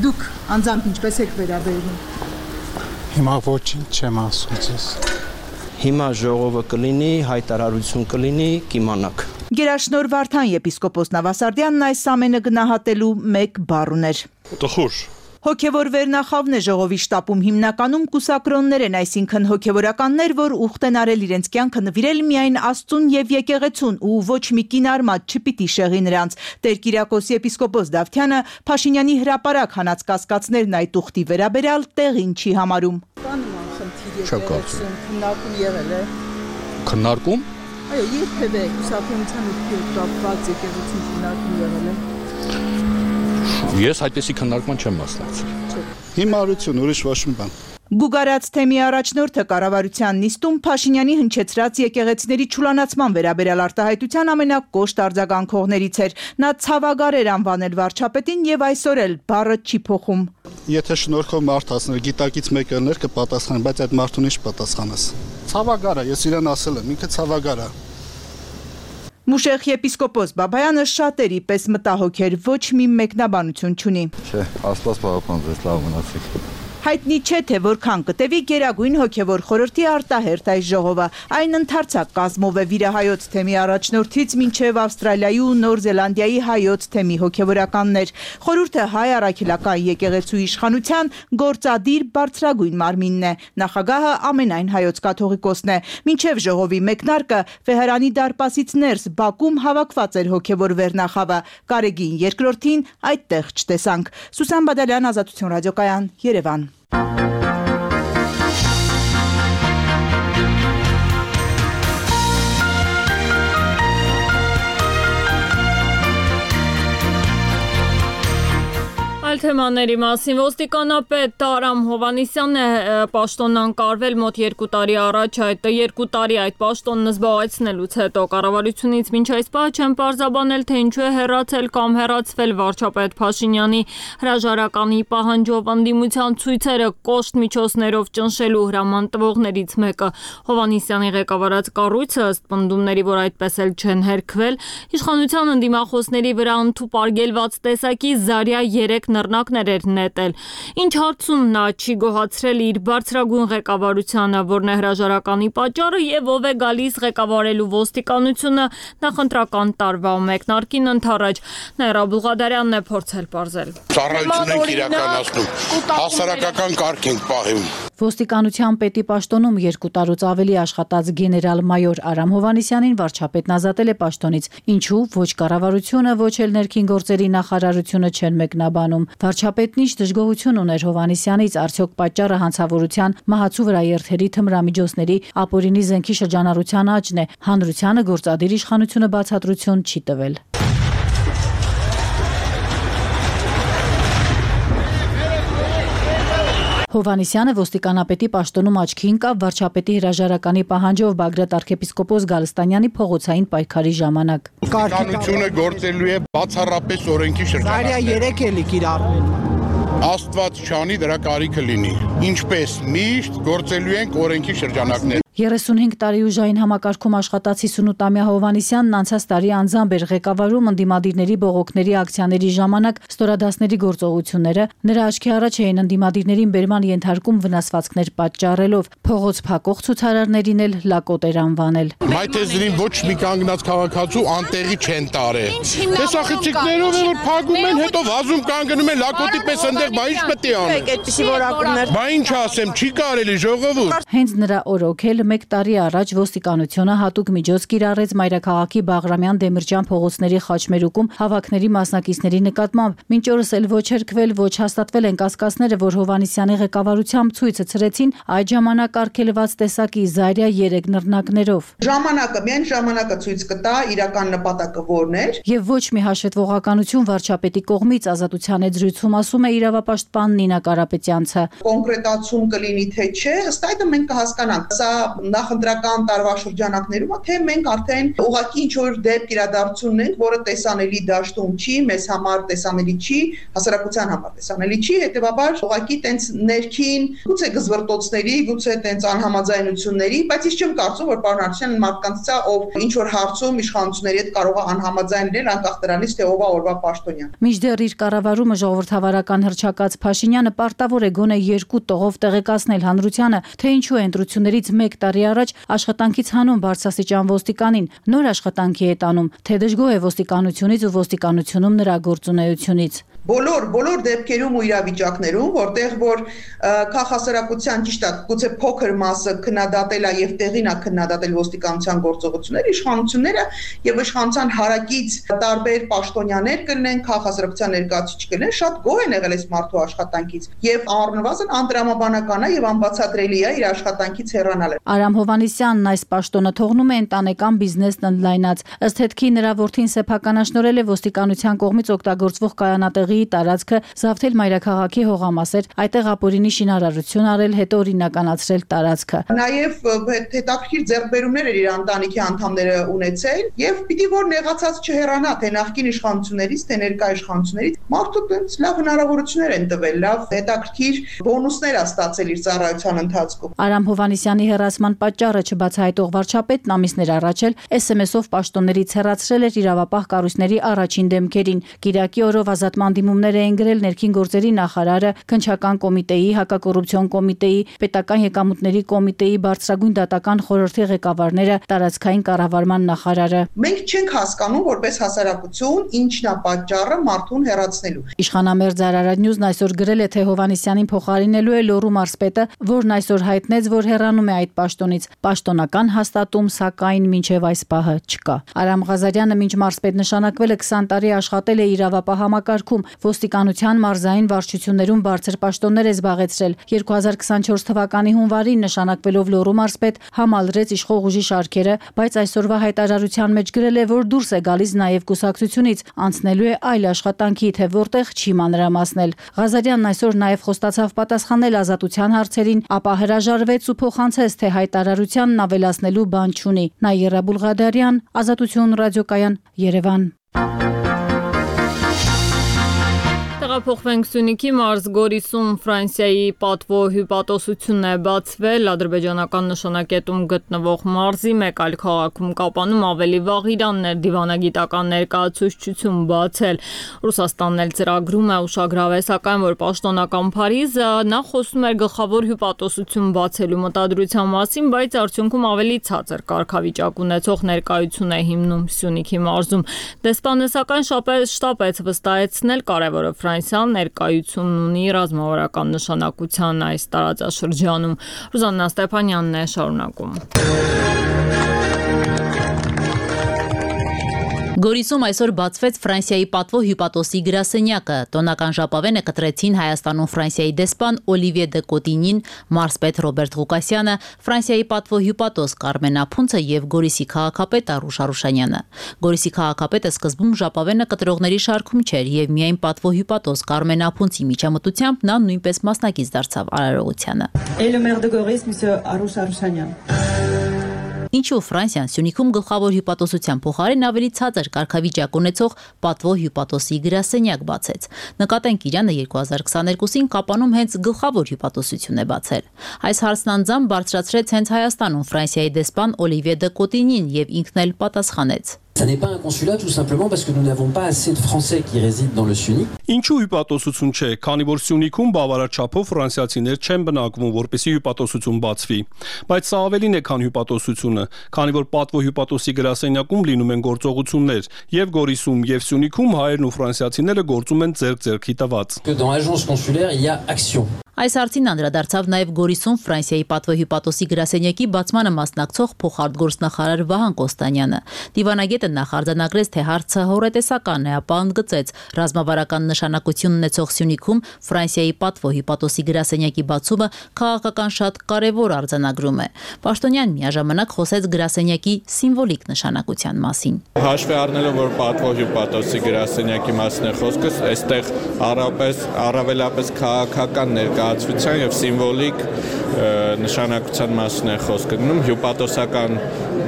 Դուք անձամբ ինչպես եք վերաբերվում։ Հիմա ոչինչ չեմ ասում ձեզ։ Հիմա ժողովը կլինի, հայտարարություն կլինի, կիմանաք։ Գերաշնորհ Վարդան եպիսկոպոս Նավասարդյանն այս ամենը գնահատելու մեկ բառ ուներ։ Տխուր։ Հոգևոր վերնախավն է ժողովի շտապում հիմնականում կուսակրոններ են, այսինքն հոգևորականներ, որ ուխտ են արել իրենց կյանքը նվիրել միայն Աստծուն եւ եկեղեցուն ու ոչ մի կին արմատ չպիտի շեղի նրանց։ Տեր Կիրակոս եպիսկոպոս Դավթյանը Փաշինյանի հրապարակ հանած կասկածներն այդ ուխտի վերաբերյալ տեղին չի համարում։ Քննարկում եղել է։ Քննարկում։ Այո, երբևէ կուսակրոնության ուխտի հետ կապված եկեղեցին քննարկում եղել է։ Ես այդպեսի քննարկման չեմ մասնակցել։ Հիմարություն, ուրիշ ոչ մի բան։ Գուգարած թեմի առաջնորդը կառավարության նիստում Փաշինյանի հնչեցրած եկեղեցիների չուլանացման վերաբերյալ արտահայտության ամենակոշտ արձագանքողներից էր։ Նա ցավագար էր անվանել վարչապետին եւ այսօր էլ բառը չի փոխում։ Եթե շնորհքով մարդ ասներ, գիտակից մեկը ներ կպատասխան, բայց այդ մարդուն ինչ պատասխանես։ Ցավագար է, ես իրեն ասել եմ, ինքը ցավագար է։ Մուշեխ եպիսկոպոս Բաբայանը շատերի պես մտահոգ էր, ոչ մի մեկնաբանություն չունի։ Չէ, Աստված պահապանձեց, լավ մնացեք։ Հայտնի չէ, թե որքան կտևի Գերագույն հոգևոր խորհրդի արտահերթ այս ժողովը։ Այն ընդարձակ կազմով է վիրահայոց թեմի առաջնորդից մինչև Ավստրալիայի ու Նոր Զելանդիայի հայոց թեմի հոգևորականներ։ Խորհուրդը հայ առաքելական եկեղեցու իշխանության գործադիր բարձրագույն մարմինն է։ Նախագահը ամենայն հայոց կաթողիկոսն է։ Մինչև ժողովի մեկնարկը վեհարանի դարպասից ներս Բաքում հավաքված էր հոգևոր վերնախավը։ Կարեգին երկրորդին այդտեղ չտեսանք։ Սուսան Բադալյան, Ազատություն, ռադիոկայան, Երևան։ թեմաների մասին ոստիկանապետ Արամ Հովհաննիսյանն է պաշտոնանկարվել մոտ 2 տարի առաջ, այդ 2 տարի այդ պաշտոնն զբաղեցնելուց հետո կառավարությունից մինչ այս պահ չեն պարզաբանել, թե ինչու է հեռացել կամ հեռացվել վարչապետ Փաշինյանի հրաժարականի պահանջով ընդդիմության ցույցերը կոշտ միջոցներով ճնշելու հրաման տվողներից մեկը։ Հովհաննիսյանի ղեկավարած կառույցը ըստ պնդումների, որ այդպես էլ չեն հերքվել, իշխանության ընդդիմախոսների վրա ընդհուպարգելված տեսակի Զարյա 3 նռնակներ էր նետել։ Ինչ հարցում նա չի գոհացրել իր բարձրագույն ղեկավարությանը, որն է հրաժարականի պատճառը եւ ով է գալիս ղեկավարելու ոստիկանությունը նախընտրական տարվա մեկնարկին ընդառաջ։ Նաիրա Բուղադարյանն է փորձել պարզել։ Ծառայություն ենք իրականացնում, հասարակական կարգ ենք պահում։ Ոստիկանության պետի պաշտոնում 2 տարուց ավելի աշխատած գեներալ-մայոր Արամ Հովհաննիսյանին վարչապետն ազատել է պաշտոնից, ինչու ոչ կառավարությունը, ոչ էլ ներքին գործերի նախարարությունը չեն մեկնաբանում։ Վարչապետն ինչ դժգոհություն ուներ Հովհաննիսյանից, արդյոք պատճառը հանցավորության, մահացու վրա երթերի թմրամիջոցների, ապօրինի զենքի շրջանառության աճն է, հանրությանը գործադիր իշխանությունը բացատրություն չի տվել։ Հովհաննիսյանը ոստիկանապետի պաշտոնում աչքի ընկավ վարչապետի հրաժարականի պահանջով Բագրատ arczepiskopos Գալստանյանի փողոցային պայքարի ժամանակ։ Ոստիկանությունը գործելու է բացառապես օրենքի շրջանակներում։ Զարյա 3 էլի կիրառվել։ Աստված չանի դրա կարիքը լինի։ Ինչպես միշտ գործելու ենք օրենքի շրջանակներում։ 35 տարի ուժային համակարգում աշխատած 58-ամյա Հովհաննիսյանն անցած տարի անձամբ էր ղեկավարում ընդդիմադիրների բողոքների ակցիաների ժամանակ ստորադասների գործողությունները, նրա աչքի առաջ էին ընդդիմադիրներին բերման ենթարկում վնասվածքներ պատճառելով, փողոց փակող ցուցարարներին էլ լակոտ էր անվանել։ Մայթեզրին ոչ մի կանգնած քաղաքացու անտեղի չեն տարել։ Տեսախցիկներով որ փակում են, հետո վազում կանգնում են լակոտի պես այնտեղ, բա ինչ պետք է անեն։ Այդպեսի որակումներ։ Բա ինչ ասեմ, չի կարելի ժողովուրդ։ Հենց նրա օրոքել 1 տարի առաջ ոստիկանությունը հատուկ միջոց կիրառեց Մայրաքաղաքի Բաղրամյան Դեմիրճյան փողոցների խաչմերուկում հավաքների մասնակիցների նկատմամբ։ Մինչ օրս էլ ոչ հերքվել, ոչ հաստատվել են կասկածները, որ Հովհաննիսյանի ղեկավարությամբ ցույցը ցրեցին այդ ժամանակ արգելված տեսակի Զարյա 3 նռնակներով։ Ժամանակը, միայն ժամանակը ցույց կտա իրական նպատակը որն էր։ Եվ ոչ մի հաշվետվողականություն վարչապետի կողմից ազատության այդ զրույցում ասում է իրավապաշտպան Նինա Կարապետյանցը։ Կոնկրետացում կլինի թե չէ, ըստ այդմ մենք կհասկանանք։ Սա նախընտրական տարվա շրջանակներում թե մենք արդեն ուղղակի ինչ որ դեպք իրադարձությունն ենք, որը տեսանելի դաշտում չի, մեզ համար տեսանելի չի, հասարակության համար տեսանելի չի, հետեւաբար ուղղակի տենց ներքին գուցե գզվրտոցների, գուցե տենց անհամաձայնությունների, բայց ես չեմ կարծում, որ պարոն Արաքելյանը մարդկանց է, ով ինչ որ հարցում իշխանությունների հետ կարող է անհամաձայն լինել, անկախ դրանից թե ով է օրվա պաշտոնյան։ Մինչդեռ իր կառավարումը ժողովրդավարական հռչակած Փաշինյանը պարտավոր է գոնե 2 տողով տեղեկացնել հանրությանը, թե ինչու է ընտրություններից 1 տարի առաջ աշխատանքից հանում բարձրաստիճան ոստիկանին, նոր աշխատանքի է տանում, թե դժգոհ է ոստիկանությունից ու ոստիկանությունում նրա գործունեությունից։ Բոլոր դեպքերում ու իրավիճակներում, որտեղ որ քաղաքասարակության ճիշտ է, գուցե փոքր մասը քննադատել է եւ տեղին է քննադատել ոստիկանության գործողությունները, իշխանությունները եւ իշխանության հարակից տարբեր պաշտոնյաներ կլինեն, քաղաքասարակության ներկայացուցիչ կլինեն, շատ գոհ են եղել այս մարդու աշխատանքից եւ առնվազն անտրամաբանական է եւ անբացատրելի է իր աշխատանքից հեռանալը։ Արամ Հովհաննիսյանն այս պաշտոնը թողնում է ընտանեկան բիզնեսն ընդլայնած։ Ըստ հետքի նրա որդին սեփականաշնորհել է ոստիկանության կողմից օգտագործվող կայանատեղի տարածքը, զավթել Մայրաքաղաքի հողամասեր, այդտեղ ապօրինի շինարարություն արել, հետո օրինականացրել տարածքը։ Նաև հետաքրքիր ձեռքբերումներ էր իր ընտանիքի անդամները ունեցել եւ պիտի որ նեղացած չհեռանա թե նախկին իշխանություններից, թե ներկա իշխանություններից։ Մարդու տենց լավ հնարավորություններ են տվել, լավ հետաքրքիր բոնուսներ է ստացել իր ծառայության ընթացքում։ Արամ Հովհաննիսյանի հեռացման պատճառը չբացահայտող վարչապետն ամիսներ առաջ էլ SMS-ով պաշտոններից հեռացրել էր իրավապահ կառույցների առաջին դեմքերին։ Կիրակի օրով ազատման դիմումներ էին գրել ներքին գործերի նախարարը, քննչական կոմիտեի, հակակոռուպցիոն կոմիտեի, պետական եկամուտների կոմիտեի, բարձրագույն դատական խորհրդի ղեկավարները, տարածքային կառավարման նախարարը։ Մենք չենք հասկանում որպես հասարակություն ինչն է պատճառը մարդուն հեռացնելու։ Իշխանամերձ Արարատնյուզն այսօր գրել է, թե Հովհաննիսյանին փոխարինելու է Լոռու մարզպետը, որն այսօր հայտնեց, որ հեռանում է այդ պաշտոնից։ Պաշտոնական հաստատում սակայն մինչև այս պահը չկա։ Արամ Ղազարյանը մինչ մարզպետ նշանակվել է 20 տարի աշխատել է իրավապահ համակարգում, Ոստիկանության մարզային վարչություններում բարձր պաշտոններ է զբաղեցրել։ 2024 թվականի հունվարին նշանակվելով Լոռու մարզպետ համալրեց իշխող ուժի շարքերը, բայց այսօրվա հայտարարության մեջ գրել է, որ դուրս է գալիս նաև կուսակցությունից, անցնելու է այլ աշխատանքի, թե որտեղ չի մանրամասնել։ Ղազարյանն այսօր նաև խոստացավ պատասխանել ազատության հարցերին, ապա հրաժարվեց ու փոխանցեց, թե հայտարարությանն ավելացնելու բան չունի։ Նաիրա Բուլղադարյան, Ազատություն ռադիոկայան, Երևան։ Տեղափոխվենք Սյունիքի մարզ Գորիսում Ֆրանսիայի պատվո հյուպատոսությունն է բացվել ադրբեջանական նշանակետում գտնվող մարզի մեկ այլ քաղաքում Կապանում ավելի վաղ Իրաններ դիվանագիտական ներկայացուցչություն բացել։ Ռուսաստանն էլ ծրագրում է ուշագրավել, սակայն որ պաշտոնական Փարիզը նախ խոսում էր գլխավոր հյուպատոսություն բացելու մտադրության մասին, բայց արդյունքում ավելի ցածր կարգավիճակ ունեցող ներկայություն է հիմնում Սյունիքի մարզում։ Դեսպանեսական շտաբը վստահեցնել կարևորը Ֆրանսիան ներկայությունն ունի ռազմավարական նշանակության այս տարածաշրջանում։ Ռուզաննա Ստեփանյանն է շարունակում։ Գորիսում այսօր բացվեց Ֆրանսիայի պատվո հյուպատոսի գրասենյակը։ Տոնական ժապավենը կտրեցին Հայաստանում Ֆրանսիայի դեսպան Օլիվիե դե Կոտինին, մարզպետ Ռոբերտ Ղուկասյանը, Ֆրանսիայի պատվո հյուպատոս Կարմեն Ափունցը եւ Գորիսի քաղաքապետ Արուշ Արուշանյանը։ Գորիսի քաղաքապետը սկզբում ժապավենը կտրողների շարքում չէր եւ միայն պատվո հյուպատոս Կարմեն Ափունցի միջամտությամբ նա նույնպես մասնակից դարձավ արարողությանը։ Ինչու Ֆրանսիան Սյունիքում գլխավոր հյուպատոսության փոխարեն ավելի ցածր կարգավիճակ ունեցող պատվո հյուպատոսի գրասենյակ բացեց։ Նկատենք Իրանը 2022-ին Կապանում հենց գլխավոր հյուպատոսություն է բացել։ Այս հարցն անձամբ բարձրացրեց հենց Հայաստանում Ֆրանսիայի դեսպան Օլիվիե դե Կոտինին եւ ինքն էլ պատասխանեց. Ça n'est pas un consulat tout simplement parce que nous n'avons pas assez de Français qui résident dans le Sunic. Ինչու հյուպատոսություն չէ, քանի որ Սյունիքում բավարար չափով ֆրանսիացիներ չեն բնակվում, որպեսզի հյուպատոսություն բացվի։ Բայց սա ավելին է, քան հյուպատոսությունը, քանի որ պատվո հյուպատոսի գրասենյակում լինում են գործողություններ, եւ Գորիսում եւ Սյունիքում հայերն ու ֆրանսիացիները գործում են ձեռք-ձեռքի տված։ Dans l'agence consulaire, il y a action. Այս հարցին անդրադարձավ նաև Գորիսում Ֆրանսիայի պատվո հյուպատոսի գրասենյակի բացմանը մասնակցող փոխարտգործնախարար Վահան Կոստանյանը։ Դիվանագետը նախ արձանագրեց, թե հարցը հորետեսական է, ապա ընդգծեց, ռազմավարական նշանակություն ունեցող Սյունիքում Ֆրանսիայի պատվո հյուպատոսի գրասենյակի բացումը քաղաքական շատ կարևոր արձանագրում է։ Պաշտոնյան միաժամանակ խոսեց գրասենյակի սիմվոլիկ նշանակության մասին։ Հաշվի առնելով, որ պատվո հյուպատոսի գրասենյակի մասն է խոսքս, այստեղ առավելապես քաղաքական ներկայացության եւ սիմվոլիկ նշանակության մասն է խոսքը գնում, հյուպատոսական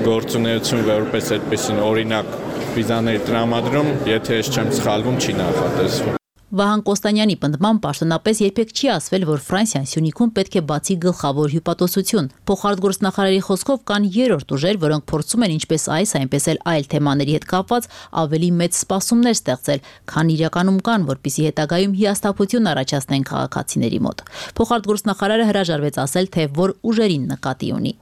գործունեություն որպես այդպեսին օրինակ վիզաների տրամադրում, եթե ես չեմ սխալվում, չի նախատեսվում։ Վահան Կոստանյանի պնդմամբ պաշտոնապես երբեք չի ասվել, որ Ֆրանսիան Սյունիքում պետք է բացի գլխավոր հյուպատոսություն։ Փոխարտգործնախարարի խոսքով կան երրորդ ուժեր, որոնք փորձում են ինչպես այս, այնպես էլ այլ թեմաների հետ կապված ավելի մեծ սպասումներ ստեղծել, քան իրականում կան, որպիսի հետագայում հիասթափություն առաջացնեն քաղաքացիների մոտ։ Փոխարտգործնախարարը հրաժարվեց ասել, թե որ ուժերին նկատի ունի։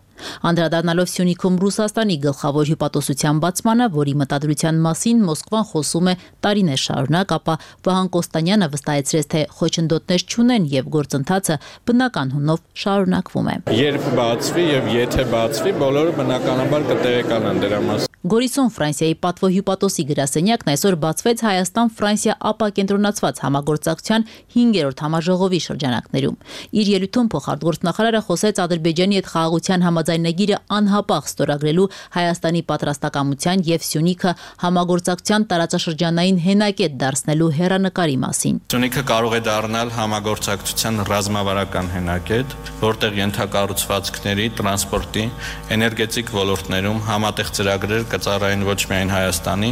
Անդրադառնալով Սյունիքում Ռուսաստանի գլխավոր հյուպատոսության բացմանը, որի մտադրության մասին Մոսկվան խոսում է տարիներ շարունակ, ապա Վահան Կոստանյանը վստահեցրեց, թե խոչընդոտներ չունեն եւ գործընթացը բնական հունով շարունակվում է։ Երբ բացվի եւ եթե բացվի, բոլորը բնականաբար կտեղեկանան դրա մասին։ Գորիսում Ֆրանսիայի պատվո հյուպատոսի գրասենյակն այսօր բացվեց Հայաստան-Ֆրանսիա ապակենտրոնացված համագործակցության 5-րդ համաժողովի շրջանակներում։ Իր ելույթում փոխարտգործնախարարը խոսեց Ադրբեջանի հետ խաղաղության համաձայնագիրը անհապաղ ստորագրելու Հայաստանի պատրաստակամության եւ Սյունիքը համագործակցության տարածաշրջանային հենակետ դարձնելու հեռանկարի մասին։ Սյունիքը կարող է դառնալ համագործակցության ռազմավարական հենակետ, որտեղ ենթակառուցվածքների, տրանսպորտի, էներգետիկ ոլորտներում համատեղ ծրագրեր կծառայեն ոչ միայն Հայաստանի,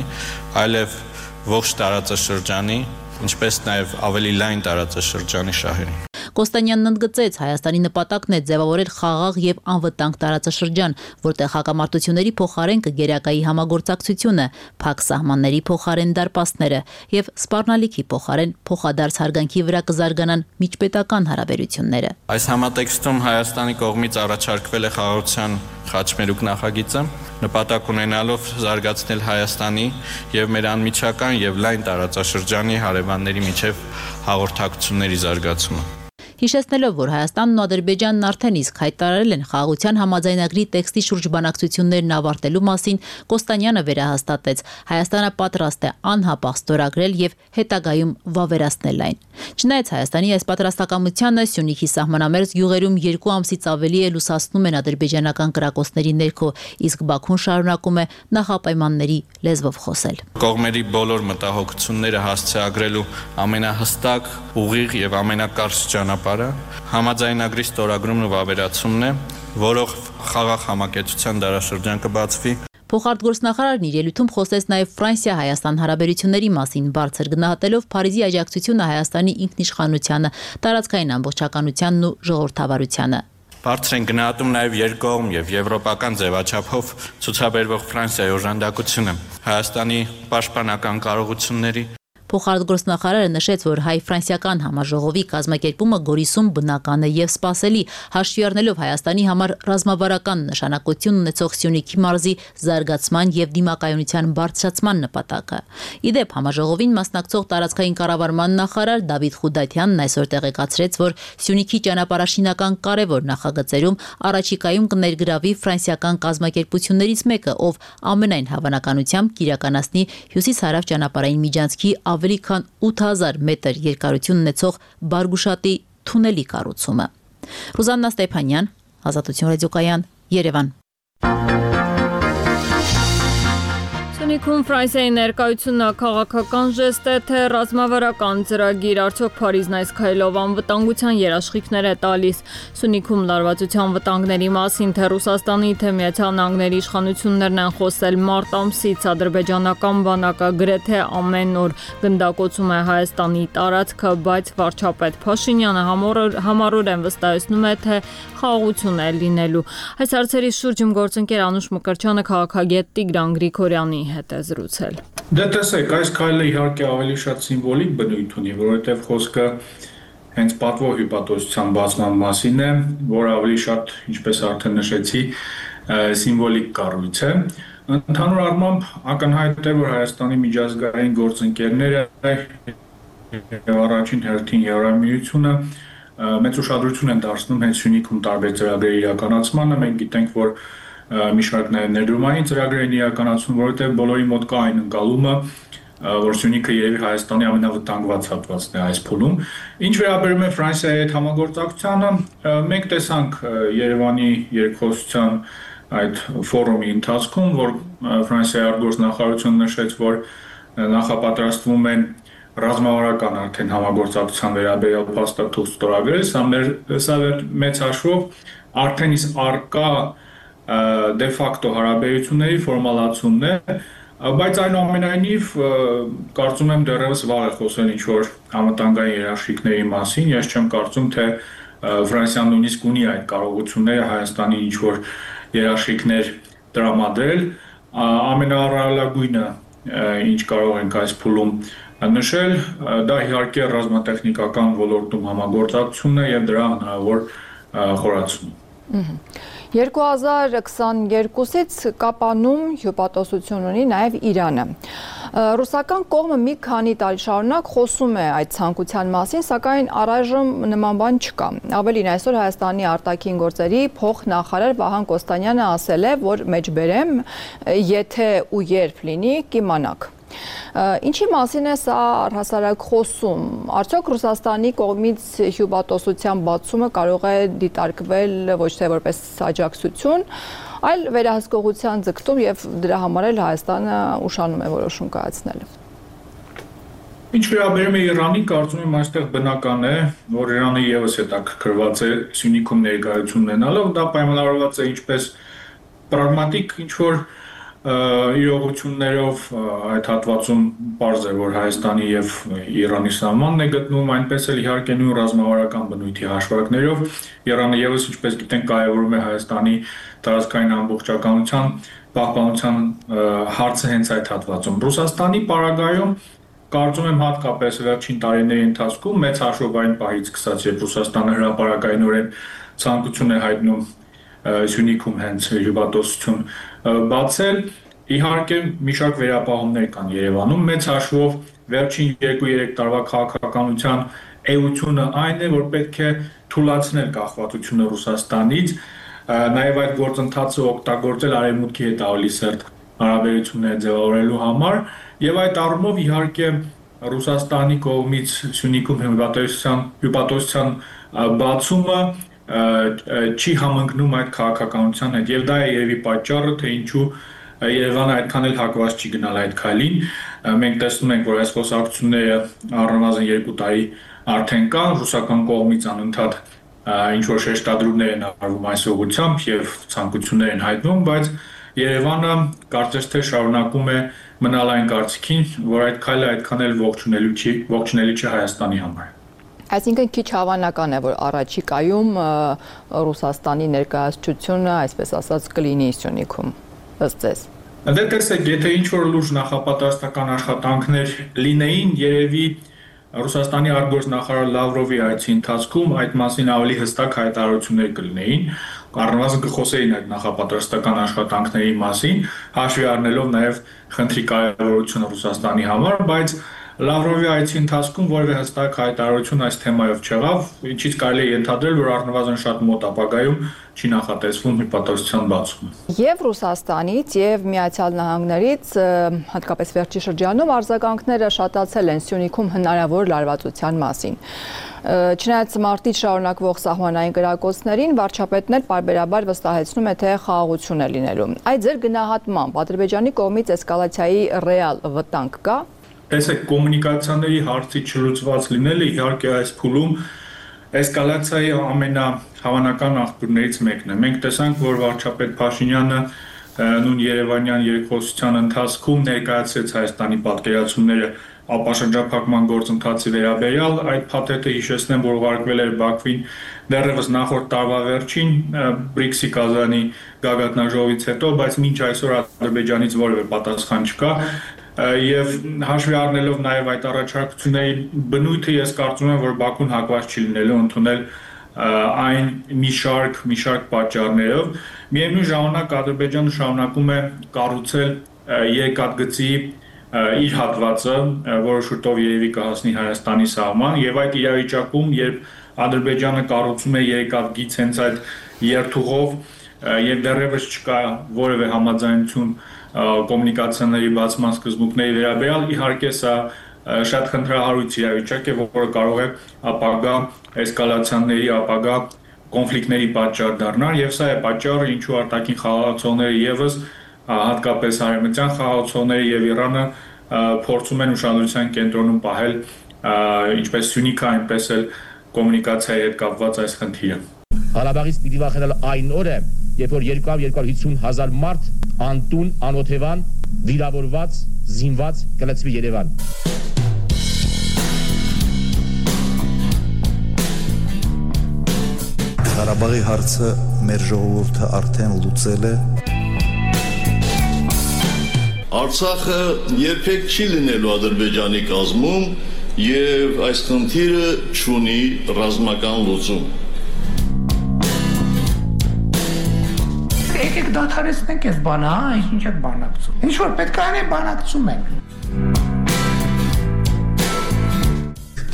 այլև ողջ տարածաշրջանի, ինչպես նաև ավելի լայն տարածաշրջանի շահերին։ Կոստանյանն ընդգծեց, Հայաստանի նպատակն է ձևավորել խաղաղ եւ անվտանգ տարածաշրջան, որտեղ հակամարտությունների փոխարեն կգերակայի համագործակցությունը, փակ սահմանների փոխարեն դարպասները եւ սպառնալիքի փոխարեն փոխադարձ հարգանքի վրա կզարգանան միջպետական հարաբերությունները։ Այս համատեքստում Հայաստանի կողմից առաջարկվել է խաղաղության խաչմերուկ նախագիծը, նպատակ ունենալով զարգացնել Հայաստանի եւ մեր անմիջական եւ լայն տարածաշրջանի հարևանների միջև հաղորդակցությունների զարգացումը։ Հիշեցնելով, որ Հայաստանն ու Ադրբեջանն արդեն իսկ հայտարարել են խաղաղության համաձայնագրի տեքստի շուրջ բանակցություններն ավարտելու մասին, Կոստանյանը վերահաստատեց, Հայաստանը պատրաստ է անհապաղ ստորագրել եւ հետագայում վավերացնել այն։ Չնայած Հայաստանի այս պատրաստակամությանը Սյունիքի սահմանամերձ գյուղերում 2 ամսից ավելի է լուսացնում են ադրբեջանական կրակոցների ներքո, իսկ Բաքուն շարունակում է նախապայմանների լեզվով խոսել։ Կողմերի բոլոր մտահոգությունները հասցեագրելու ամենահստակ, ուղիղ եւ ամենակարճ ճանապարհը համաձայնագրի ստորագրումն ու վավերացումն է, որով խաղաղ համակեցության դարաշրջան կբացվի։ Փոխարտգործնախարարն իր ելույթում խոսեց նաև Ֆրանսիա-Հայաստան հարաբերությունների մասին, բարձր գնահատելով Փարիզի աջակցությունը Հայաստանի ինքնիշխանությանը, տարածքային ամբողջականությանն ու ժողովրդավարությանը։ Բարձր են գնահատում նաև երկկողմ եւ եվրոպական ձևաչափով ցուցաբերվող Ֆրանսիայի օժանդակությունը Հայաստանի պաշտպանական կարողությունների։ Փոխարտգործնախարարը նշեց, որ հայ-ֆրանսիական համաժողովի կազմակերպումը Գորիսում բնական է եւ սպասելի, հաշվի առնելով Հայաստանի համար ռազմավարական նշանակություն ունեցող Սյունիքի մարզի զարգացման եւ դիմակայունության բարձրացման նպատակը։ Իդեպ համաժողովին մասնակցող տարածքային կառավարման նախարար Դավիթ Խուդատյանն այսօր տեղեկացրեց, որ Սյունիքի ճանապարհաշինական կարևոր նախագծերում առաջիկայում կներգրավի ֆրանսիական կազմակերպություններից մեկը, ով ամենայն հավանականությամբ կիրականացնի հյուսիս-հարավ ճանապարհային միջանցքի ավելի քան 8000 մետր երկարություն ունեցող Բարգուշատի թունելի կառուցումը։ Ռուզաննա Ստեփանյան, Ազատություն ռադիոկայան, Երևան։ Սյունիքում Ֆրանսիայի ներկայությունը քաղաքական ժեստ է, թե ռազմավարական ծրագիր, արդյոք Փարիզն այս քայլով անվտանգության երաշխիքներ է տալիս։ Սյունիքում լարվածության վտանգների մասին թե Ռուսաստանի, թե Միացյալ Նահանգների իշխանություններն են խոսել մարտ ամսից, ադրբեջանական բանակը գրեթե ամեն օր գնդակոծում է Հայաստանի տարածքը, բայց վարչապետ Փաշինյանը համառորեն վստահեցնում է, թե խաղաղություն է լինելու։ Այս հարցերի շուրջ գործընկեր Անուշ Մկրտչյանը քաղաքագետ Տիգրան Գրիգորյանի հետ է զրուցել։ Դե տեսեք, այս քայլը իհարկե ավելի շատ սիմվոլիկ բնույթ ունի, որովհետև խոսքը հենց պատվո հյուպատոսության բացման մասին է, որ ավելի շատ, ինչպես արդեն նշեցի, սիմվոլիկ կառույց է։ Ընդհանուր առմամբ ակնհայտ է, որ Հայաստանի միջազգային գործընկերները առաջին հերթին Եվրամիությունը մեծ ուշադրություն են դարձնում հենց Սյունիքում տարբեր ծրագրերի իրականացմանը։ Մենք գիտենք, որ մի շարք ներդրումային ծրագրեր են իրականացում, որովհետև բոլորի մոտ կա այն ընկալումը, որ Սյունիքը երևի Հայաստանի ամենավտանգված հատվածն է այս փուլում։ Ինչ վերաբերում է Ֆրանսիայի հետ համագործակցությանը, մենք տեսանք Երևանի երկխոսության այդ ֆորումի ընթացքում, որ Ֆրանսիայի արտգործնախարարությունը նշեց, որ նախապատրաստվում են ռազմավարական արդեն համագործակցության վերաբերյալ փաստաթուղթ ստորագրել, սա մեծ հաշվով արդեն իսկ արկա դե ֆակտո հարաբերությունների ֆորմալացումն է, բայց այնուամենայնիվ կարծում եմ դեռևս վաղ է խոսել ինչ-որ անվտանգային երաշխիքների մասին, ես չեմ կարծում, թե Ֆրանսիան նույնիսկ ունի այդ կարողությունները Հայաստանի ինչ-որ երաշխիքներ տրամադրել, ամենաառավելագույնը, ինչ կարող ենք այս փուլում նշել, դա իհարկե ռազմատեխնիկական ոլորտում համագործակցությունն է եւ դրա հնարավոր խորացումը։ 2022-ից Կապանում հյուպատոսություն ունի նաև Իրանը։ Ռուսական կողմը մի քանի տարի շարունակ խոսում է այդ ցանկության մասին, սակայն առայժմ նման բան չկա։ Ավելին այսօր Հայաստանի արտաքին գործերի փոխնախարար Վահան Կոստանյանը ասել է, որ մեջբերեմ, եթե ու երբ լինի, կիմանաք։ Ինչի մասին է սա առհասարակ խոսում։ Արդյոք Ռուսաստանի կողմից հյուպատոսության բացումը կարող է դիտարկվել ոչ թե որպես աջակցություն, այլ վերահսկողության ձգտում եւ դրա համար էլ Հայաստանը ուշանում է որոշում կայացնել։ Ինչ վերաբերում է Իրանին, կարծում եմ այստեղ բնական է, որ Իրանը եւս հետաքրքրված է Սյունիքում ներկայություն ունենալով, դա պայմանավորված է ինչպես պրագմատիկ ինչ-որ իրողություններով այդ հատվածում պարզ է, որ Հայաստանի եւ Իրանի սահմանն է գտնվում, այնպես էլ իհարկե նույն ռազմավարական բնույթի հաշվարկներով Իրանը եւս ինչպես գիտենք կարևորում է Հայաստանի տարածքային ամբողջականության պահպանության հարցը հենց այդ հատվածում։ Ռուսաստանի պարագայում կարծում եմ հատկապես վերջին տարիների ընթացքում մեծ հաշվով այն պահից սկսած, երբ Ռուսաստանը հրապարակայնորեն ցանկություն է հայտնում Սյունիքում հենց հյուպատոսություն բացել, իհարկե մի շարք վերապահումներ կան Երևանում, մեծ հաշվով վերջին 2-3 տարվա քաղաքականության էությունը այն է, որ պետք է թույլատնել կախվածությունը Ռուսաստանից, նաև այդ գործընթացը օգտագործել արևմուտքի հետ ավելի սերտ հարաբերություններ ձևավորելու համար, եւ այդ առումով իհարկե Ռուսաստանի կողմից Սյունիքում հյուպատոսության բացումը չի համընկնում այդ քաղաքականության հետ, եւ դա է երևի պատճառը, թե ինչու Երևանը այդքան էլ հակված չի գնալ այդ քայլին։ Մենք տեսնում ենք, որ այս խոսակցությունները առնվազն 2 տարի արդեն կան, ռուսական կողմից անընդհատ ինչ որ շեշտադրումներ են արվում այս ուղղությամբ եւ ցանկություններ են հայտնվում, բայց Երևանը կարծես թե շարունակում է մնալ այն կարծիքին, որ այդ քայլը այդքան էլ ողջունելի չի Հայաստանի համար։ Այսինքն քիչ հավանական է, որ առաջիկայում Ռուսաստանի ներկայացությունը, այսպես ասած, կլինի Սյունիքում, ըստ ձեզ։ Դե տեսեք, եթե ինչ-որ լուրջ նախապատրաստական աշխատանքներ լինեին, երևի Ռուսաստանի արտգործնախարար Լավրովի այցի ընթացքում այդ մասին ավելի հստակ հայտարարություններ կլինեին, առնվազն կխոսեին այդ նախապատրաստական աշխատանքների մասին, հաշվի առնելով նաև խնդրի կարևորությունը Ռուսաստանի համար, բայց Լավրովի այցի ընթացքում որևէ հստակ հայտարարություն այս թեմայով չեղավ, ինչից կարելի է ենթադրել, որ առնվազն շատ մոտ ապագայում չի նախատեսվում հյուպատոսության բացումը։ Եվ Ռուսաստանից եւ Միացյալ Նահանգներից, հատկապես վերջի շրջանում, արձագանքները շատացել են Սյունիքում հնարավոր լարվածության մասին։ Չնայած մարտից շարունակվող սահմանային կրակոցներին, վարչապետն էլ պարբերաբար վստահեցնում է, թե խաղաղություն է լինելու։ Այդ ձեր գնահատմամբ Ադրբեջանի կողմից էսկալացիայի ռեալ վտանգ կա։ Տեսեք, կոմունիկացիաների հարցի չլուծված լինելը իհարկե այս փուլում էսկալացիայի ամենահավանական աղբյուրներից մեկն է։ Մենք տեսանք, որ վարչապետ Փաշինյանը նույն Երևանյան երկխոսության ընթացքում ներկայացրեց Հայաստանի պատկերացումները ապաշրջափակման գործընթացի վերաբերյալ, այդ փաթեթը հիշեցնեմ, որ ուղարկվել էր Բաքվին դեռևս նախորդ տարվա վերջին BRICS-ի Կազանի գագաթնաժողովից հետո, բայց մինչ այսօր Ադրբեջանից որևէ պատասխան չկա։ Եվ հաշվի առնելով նաև այդ առաջարկությունների բնույթը, ես կարծում եմ, որ Բաքուն հակված չի լինելու ընդունել այն մի շարք պատճառներով։ Միևնույն ժամանակ Ադրբեջանը շարունակում է կառուցել երկաթգծի իր հատվածը, որը շուտով երևի կհասնի Հայաստանի սահման, եւ այդ իրավիճակում, երբ Ադրբեջանը կառուցում է երկաթգիծ հենց այդ երթուղով եւ դեռևս չկա որևէ համաձայնություն կոմունիկացիաների բացման սկզբունքների վերաբերյալ, իհարկե սա շատ խնդրահարույց իրավիճակ է, որը կարող է ապագա էսկալացիաների, ապագա կոնֆլիկտների պատճառ դառնալ, եւ սա է պատճառը, ինչու արտաքին խաղաղացողները եւս հատկապես արևմտյան խաղաղացողները եւ Իրանը փորձում են ուշադրության կենտրոնում պահել ինչպես Սյունիքը, այնպես էլ կոմունիկացիայի հետ կապված այս խնդիրը։ Ղարաբաղից պիտի վախենալ այն օրը, երբ որ 200-250 մարդ անտուն, անօթևան, վիրավորված, զինված կլցվի Երևան։ Ղարաբաղի հարցը մեր ժողովուրդը արդեն լուծել է։ Արցախը երբեք չի լինելու Ադրբեջանի կազմում եւ այս խնդիրը չունի ռազմական լուծում։ Եկեք դադարեցնենք այս բանը, ինչ եք բանակցում։ Ինչ որ պետք է անենք, բանակցում ենք։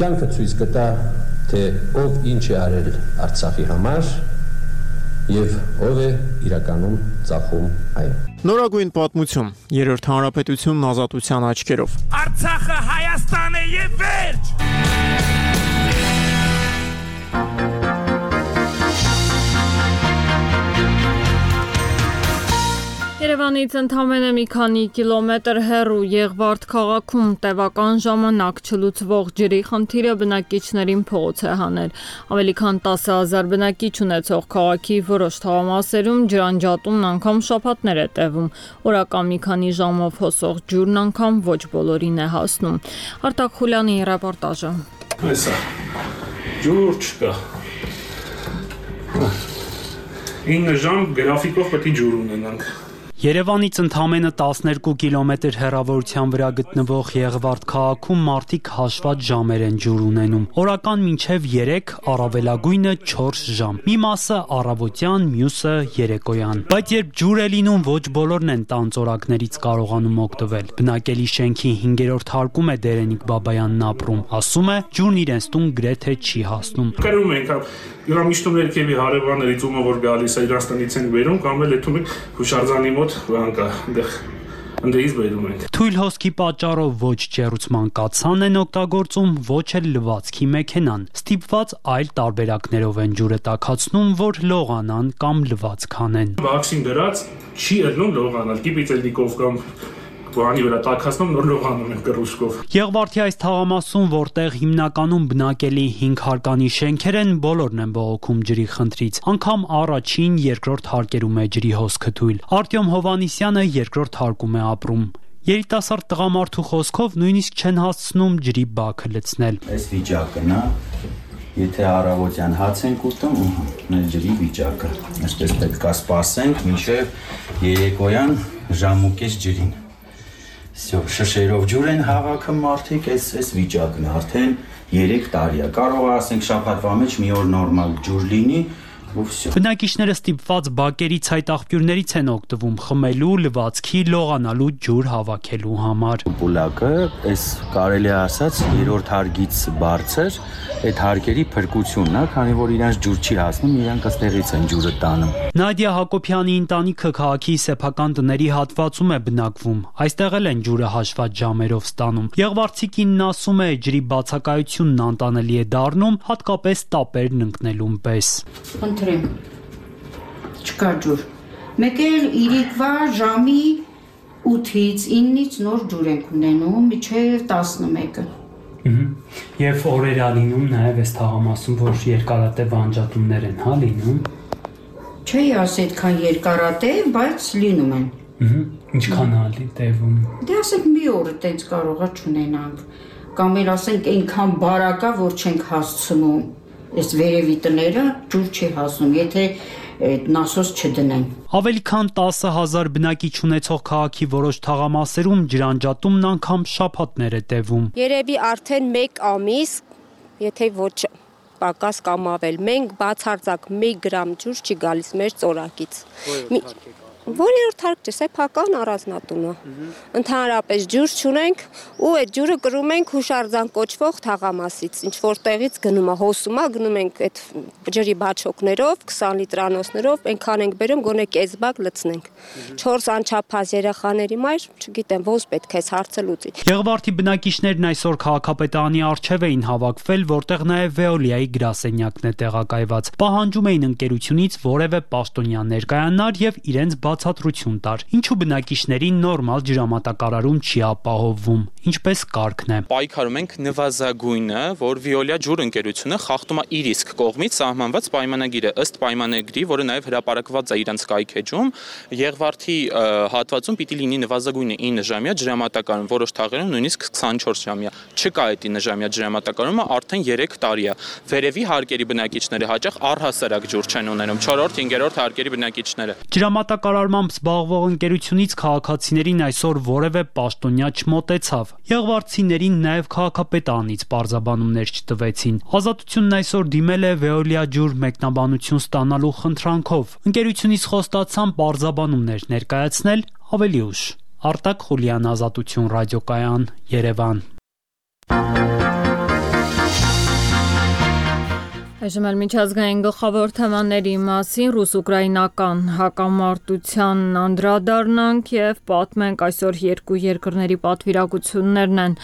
Կյանքը ցույց կտա, թե ով ինչ է արել Արցախի համար եւ ով է իրականում ծախում այն։ Նորագույն պատմություն, Երրորդ հանրապետությունն ազատության աչքերով։ Արցախը Հայաստան է եւ վերջ։ Երևանից ընդամենը մի քանի կիլոմետր հեռու Եղվարդ քաղաքում տևական ժամանակ չլուծվող ջրի խնդիրը բնակիչներին փողոց է հանել։ Ավելի քան 10,000 բնակիչ ունեցող քաղաքի որոշ թաղամասերում ջրանջատումն անգամ շաբաթներ է տևում։ Օրական մի քանի ժամով հոսող ջուրն անգամ ոչ բոլորին է հասնում։ Արտակ Խուլյանի ռեպորտաժը։ Այսա ջուր չկա։ 9 ժամ գրաֆիկով պետք է ջուր ունենանք։ Երևանից ընդամենը 12 կիլոմետր հեռավորության վրա գտնվող Եղվարդ քաղաքում մարդիկ հաշված ժամեր են ջուր ունենում։ Օրական մինչև 3, առավելագույնը 4 ժամ։ Մի մասը առավոտյան, մյուսը երեկոյան։ Բայց երբ ջուր է լինում, ոչ բոլորն են տան ծորակներից կարողանում օգտվել։ Բնակելի շենքի 5-րդ հարկում է Դերենիկ Բաբայանն ապրում։ Ասում է, ջուրն իրենց տուն գրեթե չի հասնում։ Կրում ենք յուրամիշտում ներքևի հարևաններից ումը որ գալիս է Իրաստանից են բերում կամ էլ եթում ենք հուշարձանի մոտ վանկա ընդեից բերում ենք։ Թույլ հոսքի պատճառով ոչ ջեռուցման կաթսան են օգտագործում, ոչ էլ լվացքի մեքենան։ Ստիպված այլ տարբերակներով են ջուրը տաքացնում, որ լողանան կամ լվացք անեն։ Վաքսին դրած չի ելնում լողանալ, կիպիցելնիկով կամ բանի վրա տաքացնում նոր լողանում են կռուշկով։ Եղվարդի այս թաղամասում, որտեղ հիմնականում բնակելի 5 հարկանի շենքեր են, բոլորն են բողոքում ջրի խնդրից։ Անգամ առաջին, երկրորդ հարկերում է ջրի հոսքը թույլ։ Արտյոմ Հովանիսյանը երկրորդ հարկում է ապրում։ Երիտասարդ տղամարդու խոսքով նույնիսկ չեն հասցնում ջրի բաքը լցնել։ Այս վիճակն է, եթե առավոտյան հաց ենք ուտում, մեր ջրի վիճակը։ Այսպես պետք է սպասենք մինչև երեկոյան ժամուկես ջրին։ Շշերով ջուր են հավաքում մարդիկ, այս վիճակն է, արդեն 3 տարի է։ Կարող է ասենք շաբաթվա մեջ մի օր նորմալ ջուր լինի, ու վсё։ Բնակիչները ստիպված բակերի ցայտաղբյուրներից են օգտվում խմելու, լվացքի, լողանալու ջուր հավաքելու համար։ Պուլակը, այս կարելի է ասած 3-րդ հարկից բարձր, այդ հարկերի փրկությունն է, քանի որ իրանց ջուր չի հասնում, իրանք այստեղից են ջուրը տանում։ Նադիա Հակոբյանի ընտանիքը քաղաքի սեփական տների հատվածում է բնակվում։ Այստեղ էլ են ջուրը հաշված ժամերով ստանում։ Եղվարդցի կինն ասում է, ջրի բացակայությունն անտանելի է դառնում, հատկապես տապերն ընկնելուն պես։ Խնդրեմ, չկա ջուր։ Մեկ էլ իրիկվա ժամի 8-ից 9-ից նոր ջուր ենք ունենում, մինչև 11-ը։ Եվ օրեր ա լինում նաև այս թաղամասում, որ երկարատև անջատումներ են, հա, լինում։ Չի ասի այդքան երկարատև, բայց լինում են։ Ինչքան ա տևում։ Դե ասենք մի օր տենց կարողա չունենանք, կամ էլ ասենք այնքան բարակա, որ չենք հասցնում։ Այս վերևի տները ջուր չի հասնում, եթե նասոս չդնեն։ Ավելի քան 10,000 բնակիչ ունեցող քաղաքի որոշ թաղամասերում ջրանջատումն անգամ շաբաթներ է տևում։ Երևի արդեն 1 ամիս, եթե ոչ պակաս կամ ավել, մենք բացարձակ 1 գրամ ջուր չի գալիս մեր ծորակից։ Որերորդ հարկ չէ, սեփական առանձնատունը։ Ընդհանրապես ջուր չունենք ու այդ ջուրը կրում ենք հուշարձան կոչվող թաղամասից, ինչ որտեղից գնում է, հոսում է, գնում ենք այդ ջրի բաչոկներով, 20 լիտրանոցներով, այնքան ենք բերում, գոնե կես բակ լցնենք։ 4 անչափահաս երեխաների մայր, չգիտեմ, ոնց պետք է այս հարցը լուծի։ Եղվարդի բնակիչներն այսօր քաղաքապետարանի առջև էին հավաքվել, որտեղ նաև Veolia-ի գրասենյակն է տեղակայված։ Պահանջում էին ընկերությունից որևէ պաշտոնյա ներկայանար եւ իրենց բացատրություն տար, ինչու բնակիչներին նորմալ ջրամատակարարում չի ապահովվում, ինչպես կարգն է։ Պայքարում ենք նվազագույնը, որ Veolia ջուր ընկերությունը խախտում է իր իսկ կողմից սահմանված պայմանագիրը, ըստ պայմանագրի, որը նաև հրապարակված է իրանց կայքեջում, Եղվարդի հատվածում պիտի լինի նվազագույնը 9 ժամյա ջրամատակարարում, որոշ թաղերում նույնիսկ 24 ժամյա։ Չկա այդ 9 ժամյա ջրամատակարարումը արդեն 3 տարի է։ Վերևի հարկերի բնակիչները հաճախ առհասարակ ջուր չեն ունենում, 4-րդ, 5-րդ հարկերի բնակիչները։ Ջրամատակարարմամբ զբաղվող ընկերությունից քաղաքացիներին այսօր որևէ պաշտոնյա չմոտեցավ։ Եղվարդցիներին նաև քաղաքապետարանից պարզաբանումներ չտվեցին։ Ազատությունն այսօր դիմել է Veolia ջուր մեկնաբանություն ստանալու խնդրանքով։ Ընկերությունից խոստացան պարզաբանումներ ներկայացնել ավելի ուշ։ Արտակ Խուլյան, Ազատություն ռադիոկայան, Երևան։ Այժմ էլ միջազգային գլխավոր թեմաների մասին ռուս-ուկրաինական հակամարտության անդրադառնանք եւ պատմենք այսօր երկու երկրների պատվիրակություններն են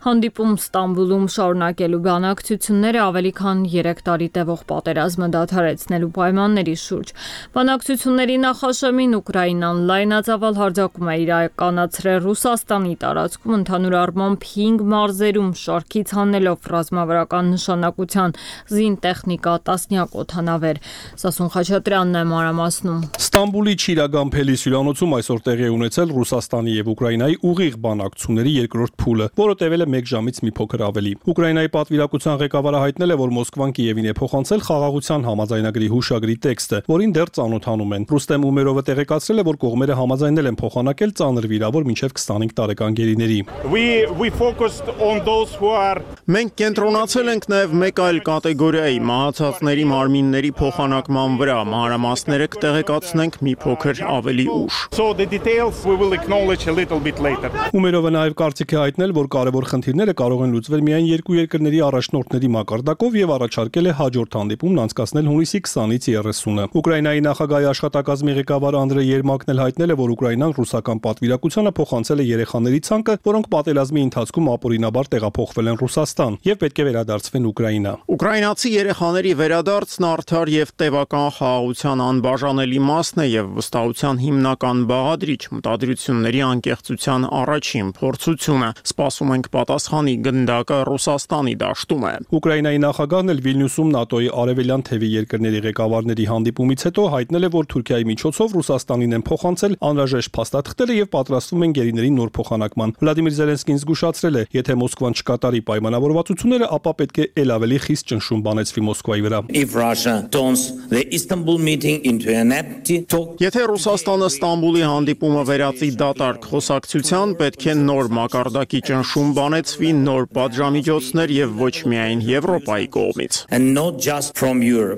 հանդիպում Ստամբուլում շարունակելու բանակցությունները ավելի քան 3 տարի տևող պատերազմը դադարեցնելու պայմանների շուրջ։ Բանակցությունների նախաշեմին Ուկրաինան լայնածավալ հարձակում է իրականացրել Ռուսաստանի տարածքում ընդհանուր առմամբ 5 մարզերում շարքից հանելով ռազմավարական նշանակության զինտեխնիկա տեխնիկա, տասնյակ օդանավեր։ Սասուն Խաչատրյանն է մանրամասնում։ Ստամբուլի Չիրագամփելի հյուրանոցում այսօր տեղի է ունեցել Ռուսաստանի եւ Ուկրաինայի ուղիղ բանակցությունների երկրորդ փուլը, որը տևել է 1 ժամից մի փոքր ավելի։ Ուկրաինայի պատվիրակության ղեկավարը հայտնել է, որ Մոսկվան Կիևին է փոխանցել խաղաղության համաձայնագրի հուշագրի տեքստը, որին դեռ ծանոթանում են։ Ռուստեմ Ումերովը տեղեկացրել է, որ կողմերը համաձայնել են փոխանակել ծանր վիրավոր մինչև 25 տարեկան գերիների։ Մենք կենտրոնացել ենք նաև մեկ այլ կատեգորիայի մահացածների մարմինների փոխանակման վրա, մանրամասները կտեղեկացնենք մի փոքր ավելի ուշ։ Ումերովը նաև կարծիք է հայտնել, որ կարևոր խնդիրները կարող են լուծվել միայն երկու երկրների առաջնորդների մակարդակով եւ առաջարկել է հաջորդ հանդիպումն անցկացնել հունիսի 20-ից 30-ը։ Ուկրաինայի նախագահի աշխատակազմի ղեկավար Անդրեյ Երմակն էլ հայտնել է, որ Ուկրաինան ռուսական պատվիրակությանը փոխանցել է երեխաների ցանկը, որոնք պատերազմի ընթացքում ապօրինաբար տեղափոխվել են Ռուսաստան եւ պետք է վերադարձվեն Ուկրաինա։ Ուկրաինացի երեխաների վերադարձն արդար եւ տևական խաղաղության անբաժանելի մասն է եւ վստահության հիմնական բաղադրիչ, մտադրությունների անկեղծության առաջին փորձությունը։ Սպասում ենք պատասխանի գնդակը Ռուսաստանի դաշտում է։ Ուկրաինայի նախագահն էլ Վիլնյուսում ՆԱՏՕ-ի արևելյան թևի երկրների ղեկավարների հանդիպումից հետո հայտնել է, որ Թուրքիայի միջոցով Ռուսաստանին են փոխանցել անհրաժեշտ փաստաթղթերը եւ պատրաստվում են գերիների նոր փոխանակման։ Վլադիմիր Զելենսկին զգուշացրել է, եթե Մոսկվան չկատարի պայմանավորվածությունները, ապա պետք է ել ավելի խիստ ճնշում բանեցվի Մոսկվայի վրա։ Եթե Ռուսաստանը Ստամբուլի հանդիպումը վերածի դատարկ խոսակցության, պետք է նոր մակարդակի ճնշում բանեցվի, նոր պատժամիջոցներ եւ ոչ միայն Եվրոպայի կողմից։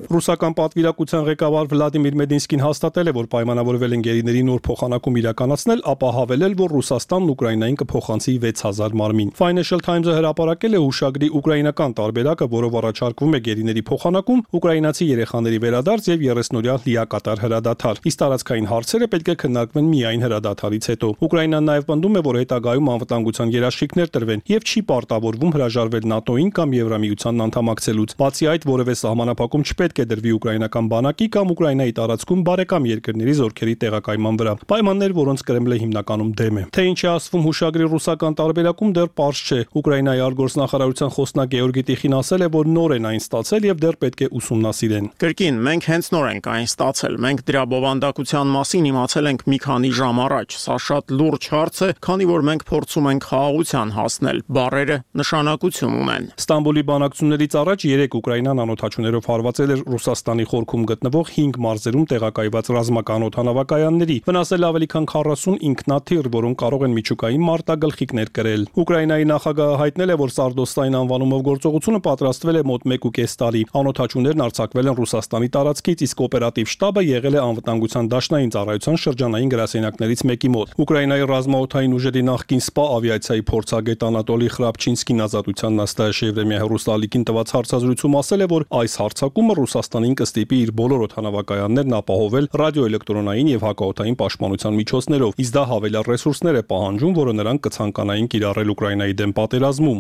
Ռուսական պատվիրակության ղեկավար Վլադիմիր Մեդինսկին հաստատել է, որ պայմանավորվել են գերիների նոր փոխանակում իրականացնել, ապա հավելել, որ Ռուսաստանն Ուկրաինային կփոխանցի 6000 մարմին։ Financial Times-ը հրապարակել է հուշագրի ուկրաինական տարբերակը, որով առաջարկվում է գերիների փոխանակում, ուկրաինացի երեխաների վերադարձ եւ 30-օրյա լիակատար հրադադար։ Իսկ տարածքային հարցերը պետք է քննարկվեն միայն հրադադարից հետո։ Ուկրաինան նաեւ պնդում է, որ հետագայում անվտանգության երաշխիքներ տրվեն եւ չի պարտավորվում հրաժարվել ՆԱՏՕ-ին կամ Եվրամիությանն անդամակցելուց։ Բացի այդ, որևէ սահմանափակում չպետք է դրվի ուկրաինական բանակի կամ Ուկրաինայի տարածքում բարեկամ երկրների զորքերի տեղակայման վրա։ Պայմաններ, որոնց Կրեմլը հիմնականում դեմ է։ Թե ինչ է ասվում հուշագրի ռուսական տարբերակում, դեռ պարզ չէ։ Ուկրաինայի արտգործնախարարության խոսնակ Գեորգի Տիխին ասել է, որ նոր են այն ստացել եւ դեռ պետք է ուսումնասիրեն։ Կրկին, մենք հենց նոր ենք այն ստացել։ Մենք դրա բովանդակության մասին իմացել ենք մի քանի ժամ առաջ։ Սա շատ լուրջ հարց է, քանի որ մենք փորձում ենք խաղաղության հասնել։ Բառերը նշանակություն ունեն։ Ստամբուլի բանակցություններից առաջ 3 Ուկրաինան անօթաչուներով հարվածել էր Ռուսաստանի խորքում գտնվող 5 մարզերում տեղակայված ռազմական օդանավակայանների, վնասել ավելի քան 40 ինքնաթիռ, որոնք կարող են միջուկային մարտագլխիկներ կրել։ Ուկրաինայի նախագահը հայտնել է, որ Սարդոստային անվանումով գործողությունը պատրաստվել է մոտ 1.5 տարի։ Անօթաչուներն արձակվել են Ռուսաստանի տարածքից, իսկ օպերատիվ շտաբը եղել է անվտանգության դաշնային ծառայության շրջանային գրասենյակներից մեկի մոտ։ Ուկրաինայի ռազմաօդային ուժերի նախկին սպա ավիացիայի փորձագետ Անատոլի Խրապչինսկին Ազատության նստաշ Եվրեմիա հեռուստալիքին տված հարցազրույցում ասել է, որ այս հարձակումը Ռուսաստանին կստիպի իր բոլոր օդանավակայաններն ապահովել ռադիոէլեկտրոնային եւ հակաօդային պաշտպանության միջոցներով, իսկ դա հավելյալ ռեսուրսներ է պահանջում, որը նրանք կցանկանային կիրառել Ուկրաինայի դեմ պատերազմում։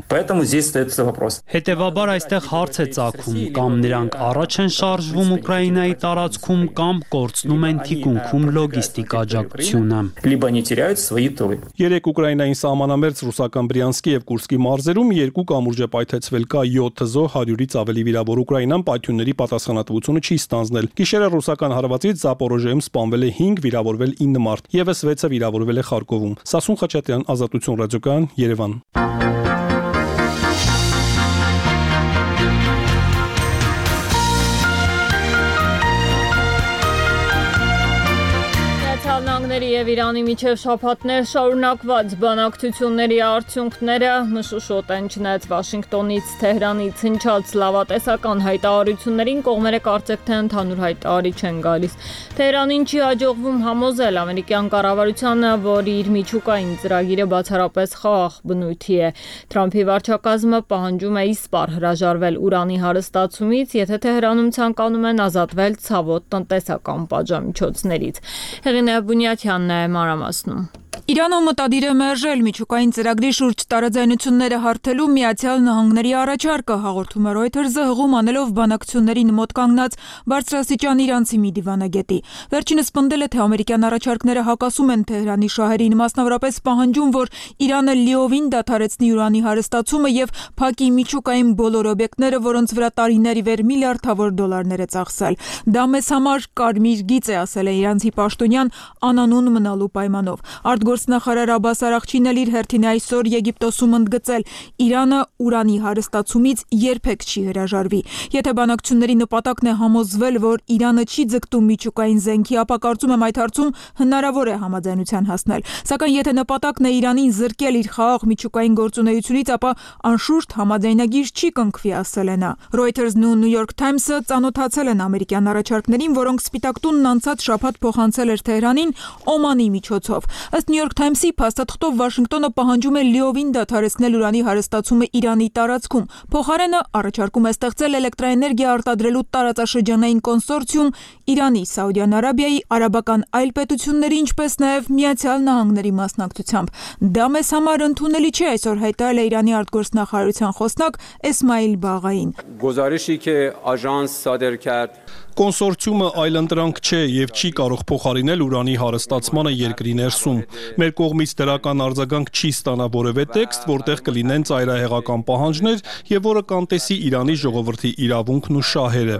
Հետևաբար այստեղ հարց է ծագում, կամ նրանք առաջ են շարժվում Ուկրաինայի տարածքում, կամ կորցնում են թիկունքում լոգիստիկ աջակցությունը։ 3 Ուկրաինային սահմանամերձ ռուսական Բրյանսկի եւ Կուրսկի մարզերում 2 կամուրջ է պայթեցվել, կա 7 զոհ, 100-ից ավելի վիրավոր։ Ուկրաինան պայթյունների պատասխանատվությունը չի ստանձնել։ Գիշերը ռուսական հարվածից Զապորոժիայում սպանվել է 5, վիրավորվել 9 մարդ, եւս 6-ը վիրավորվել է Խարկովում։ Սասուն Խաչատրյան, Ազատություն ռադիոկայան, Երևան։ Եւ Իրանի միջև շաբաթներ շարունակված բանակցությունների արդյունքները մշուշոտ են չնայած Վաշինգտոնից Թեհրանից հնչած լավատեսական հայտարարություններին կողմերը կարծեք թե ընդհանուր հայտարարի չեն գալիս։ Թեհրանին չի հաջողվում համոզել ամերիկյան կառավարությանը, որ իր միջուկային ծրագիրը բացառապես խաղաղ բնույթի է։ Թրամփի վարչակազմը պահանջում է իսպառ հրաժարվել ուրանի հարստացումից, եթե Թեհրանում ցանկանում են ազատվել ցավոտ տնտեսական պատժամիջոցներից։ Հեղինե Բունյաթյանն է մանրամասնում։ Իրանը մտադիր է մերժել միջուկային ծրագրի շուրջ տարաձայնությունները հարթելու Միացյալ Նահանգների առաջարկը, հաղորդում է Reuters-ը հղում անելով բանակցություններին մոտ կանգնած բարձրաստիճան իրանցի մի դիվանագետի։ Վերջինս պնդել է, թե ամերիկյան առաջարկները հակասում են Թեհրանի շահերին, մասնավորապես պահանջում, որ Իրանը լիովին դադարեցնի ուրանի հարստացումը եւ փակի միջուկային բոլոր օբյեկտները, որոնց վրա տարիներ ի վեր միլիարդավոր դոլարներ է ծախսել։ Դա մեզ համար կարմիր գիծ է, ասել է իրանցի պաշտոնյան անանուն մնալու պայմանով։ Արտգործնախարար Աբբաս Արաղչին էլ իր հերթին այսօր Եգիպտոսում ընդգծել. Իրանը ուրանի հարստացումից երբեք չի հրաժարվի։ Եթե բանակցությունների նպատակն է համոզվել, որ Իրանը չի ձգտում միջուկային զենքի, ապա կարծում եմ այդ հարցում հնարավոր է համաձայնության հասնել։ Սակայն եթե նպատակն է Իրանին զրկել իր խաղաղ միջուկային գործունեությունից, ապա անշուշտ համաձայնագիր չի կնքվի, ասել է նա։ Reuters-ն ու New York Times-ը ծանոթացել են ամերիկյան առաջարկներին, որոնք Սպիտակ տունն անցած շաբաթ փոխանցել էր Թեհրանին Օմանի միջոցով։ Ըստ New York Times-ի փաստաթղթով Վաշինգտոնը պահանջում է լիովին դադարեցնել ուրանի հարստացումը Իրանի տարածքում։ Փոխարենը առաջարկում է ստեղծել էլեկտրաէներգիա արտադրելու տարածաշրջանային կոնսորցիում Իրանի, Սաուդյան Արաբիայի, արաբական այլ պետությունների, ինչպես նաև Միացյալ Նահանգների մասնակցությամբ։ Դա մեզ համար ընդունելի չէ, այսօր հայտարարել է Իրանի արտգործնախարարության խոսնակ Էսմայիլ Բաղային։ Կոնսորցիումը այլընտրանք չէ եւ չի կարող փոխարինել ուրանի հարստացմանը երկրի ներսում։ Մեր կողմից դրական արձագանք չի ստանա որևէ տեքստ, որտեղ կլինեն ծայրահեղական պահանջներ եւ որը կանտեսի Իրանի ժողովրդի իրավունքն ու շահերը։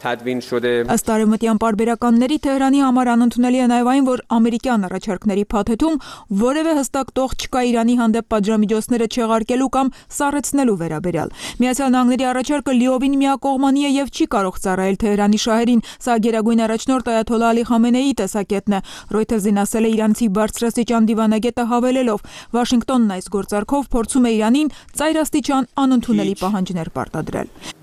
Ըստ արևմտյան պարբերականների Թեհրանի համար անընդունելի է նաև այն, որ ամերիկյան առաջարկների փաթեթում որևէ հստակ տող չկա Իրանի հանդեպ պատժամիջոցները չեղարկելու կամ սառեցնելու վերաբերյալ։ Միացյալ Նահանգների առաջարկը լիովին միակողմանի է եւ չի կարող ծառայել Թեհրանի շահերին, սա գերագույն առաջնորդ Այաթոլլահ Ալի Խամենեիի տեսակետն է։ Reuters-ին ասել է իրանցի բարձրաստիճան դիվանագետը հավելելով. Վաշինգտոնն այս գործարքով փորձում է Իրանին ծայրաստիճան անընդունելի պահանջներ պարտադրել։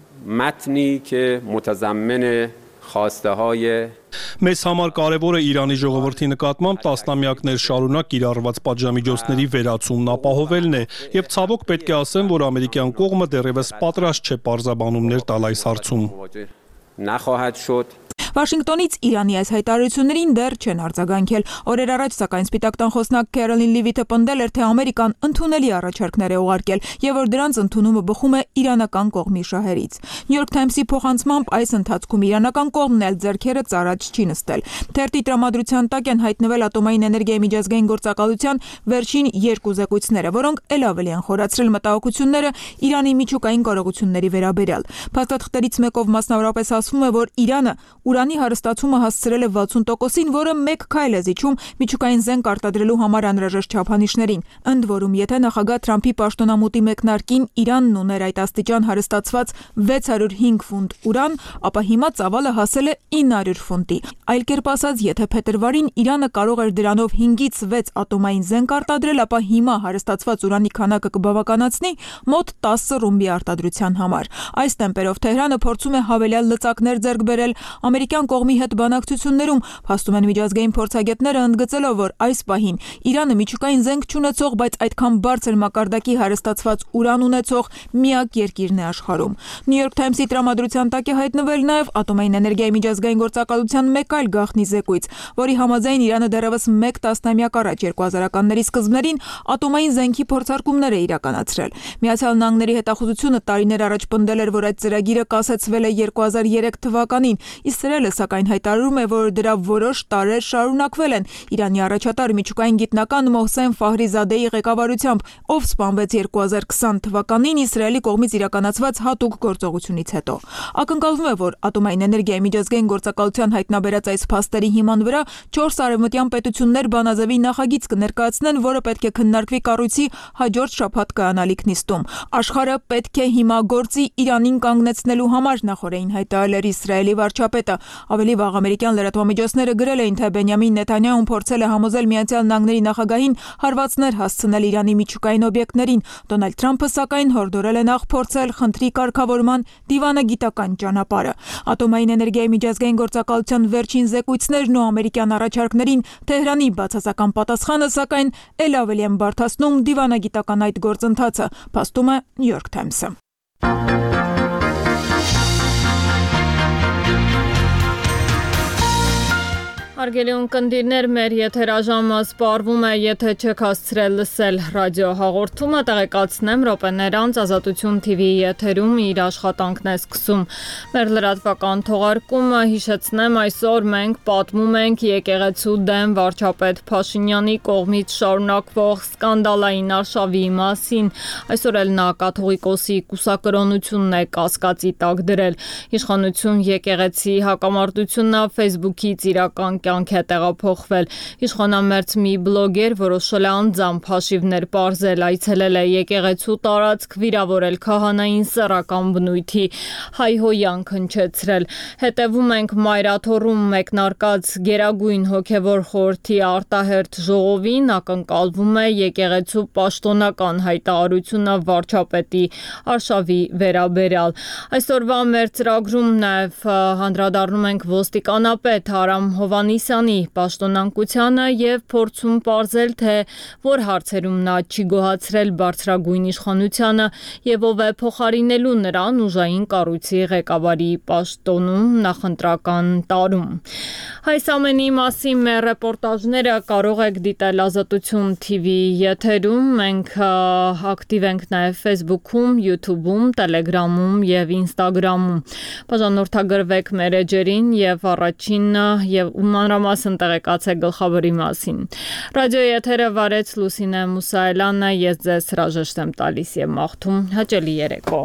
Մեզ համար կարևոր է Իրանի ժողովրդի նկատմամբ տասնամյակներ շարունակ կիրառված պատժամիջոցների վերացումն ապահովելն է եւ ցավոք պետք է ասեմ, որ ամերիկյան կողմը դեռևս պատրաստ չէ պարզաբանումներ տալ այս հարցում։ Վաշինգտոնից Իրանի այս հայտարարություններին դեռ չեն արձագանքել։ Օրեր առաջ, սակայն Սպիտակ տան խոսնակ Քերոլին Լիվիթը պնդել էր, թե Ամերիկան ընդունելի առաջարկներ է ուղարկել եւ որ դրանց ընդունումը բխում է իրանական կողմի շահերից։ New York Times-ի փոխանցմամբ այս ընթացքում իրանական կողմն էլ ձեռքերը ծառաջ չի նստել։ Թերթի տրամադրության տակ են հայտնվել ատոմային էներգիայի միջազգային գործակալության վերջին երկու զեկույցները, որոնք ել ավելի են խորացրել մտահոգությունները Իրանի միջուկային կարողությունների վերաբերյալ։ Փաստաթղթերից մեկով մասնավորապես ասվում է, որ Իրանը ուրանի հարստացումը հասցրել է 60%-ին, որը մեկ քայլ է զիջում միջուկային զենք արտադրելու համար անհրաժեշտ չափանիշներին։ Ընդ որում, եթե նախագահ Թրամփի պաշտոնամուտի մեկնարկին Իրանն ուներ այդ աստիճան հարստացված 605 ֆունտ ուրան, ապա հիմա ծավալը հասել է 900 ֆունտի։ Այլ կերպ ասած, եթե փետրվարին Իրանը կարող էր դրանով 5-ից 6 ատոմային զենք արտադրել, ապա հիմա հարստացված ուրանի քանակը կբավականացնի մոտ 10 ռումբի արտադրության համար։ Այս տեմպերով Թեհրանը փորձում է հավելյալ լծակներ ձեռք բերել ամերիկյան կողմի հետ բանակցություններում, փաստում են միջազգային փորձագետները, ընդգծելով, որ այս պահին Իրանը միջուկային զենք չունեցող, բայց այդքան բարձր մակարդակի հարստացված ուրան ունեցող միակ երկիրն է աշխարհում։ New York Times-ի տրամադրության տակ է հայտնվել նաև ատոմային էներգիայի միջազգային գործակալության մեկ այլ գաղտնի զեկույց, որի համաձայն Իրանը դեռևս 1 տասնամյակ առաջ 2000-ականների սկզբներին ատոմային զենքի փորձարկումներ է իրականացրել։ Միացյալ Նահանգների հետախուզությունը տարիներ առաջ պնդել էր, որ այդ ծրագիրը կասեցվել է 2003 թվականին, Իսրայելը սակայն հայտարարում է, որ դրա որոշ տարեր շարունակվել են Իրանի առաջատար միջուկային գիտնական Մոհսեն Ֆահրիզադեի ղեկավարությամբ, ով սպանվեց 2020 թվականին Իսրայելի կողմից իրականացված հատուկ գործողությունից հետո։ Ակնկալվում է, որ ատոմային էներգիայի միջազգային գործակալության հայտնաբերած այս փաստերի հիման վրա 4 արևմտյան պետություններ բանաձևի նախագիծ կներկայացնեն, որը պետք է քննարկվի կառույցի հաջորդ շաբաթ կայանալիք նիստում։ Աշխարհը պետք է հիմա գործի Իրանին կանգնեցնելու համար, նախորդին հայտարարել էր Իսրայելի վարչապետը։ Ավելի վաղ ամերիկյան լրատվամիջոցները գրել էին, թե Բենյամին Նեթանյահուն փորձել է համոզել Միացյալ Նահանգների նախագահին հարվածներ հասցնել Իրանի միջուկային օբյեկտներին։ Դոնալդ Թրամփը սակայն հորդորել է նախ փորձել խնդրի կարգավորման դիվանագիտական ճանապարհը։ Ատոմային էներգիայի միջազգային գործակալության վերջին զեկույցներն ու ամերիկյան առաջարկներին Թեհրանի բացասական պատասխանը սակայն ել ավելի են բարդացնում դիվանագիտական այդ գործընթացը, փաստում է New York Times-ը։ Հարգելի ունկնդիրներ, մեր եթերաժամը սպառվում է, եթե չեք հասցրել լսել ռադիո հաղորդումը, տեղեկացնեմ, րոպեներ անց Ազատություն TV-ի եթերում իր աշխատանքն է սկսում։ Մեր լրատվական թողարկումը, հիշեցնեմ, այսօր մենք պատմում ենք եկեղեցու դեմ վարչապետ Փաշինյանի կողմից շարունակվող սկանդալային արշավի մասին։ Այսօր էլ նա կաթողիկոսի կուսակրոնությունն է կասկածի տակ դրել։ Իշխանություն եկեղեցի հակամարտությունն Facebook-ից իրական կյանք է տեղափոխվել։ Իշխանամերձ մի բլոգեր որոշել է անձամբ հաշիվներ պարզել, այցելել է եկեղեցու տարածք, վիրավորել քահանային սեռական բնույթի հայհոյանք հնչեցրել։ Հետևում ենք Մայրաթոռում մեկնարկած Գերագույն հոգևոր խորհրդի արտահերթ ժողովին, ակնկալվում է եկեղեցու պաշտոնական հայտարարությունը վարչապետի արշավի վերաբերյալ։ Այսօրվա մեր ծրագրում նաև անդրադառնում ենք ոստիկանապետ Արամ Հովհաննիսյանի պաշտոնանկությանը եւ փորձում պարզել, թե որ հարցերում նա չի գոհացրել բարձրագույն իշխանությանը եւ ով է փոխարինելու նրան ուժային կառույցի ղեկավարի պաշտոնում նախընտրական տարում։ Այս ամենի մասին մեր ռեպորտաժները կարող եք դիտել Ազատություն TV-ի եթերում, մենք ակտիվ ենք նաև Facebook-ում, YouTube-ում, Telegram-ում եւ Instagram-ում։ Բաժանորդագրվեք մեր էջերին եւ առաջին եւ մանրամասն տեղեկացեք գլխավորի մասին։ Ռադիոյի եթերը վարեց Լուսինե Մուսայելյանը, ես ձեզ հրաժեշտ եմ տալիս եւ մաղթում հաճելի երեկո։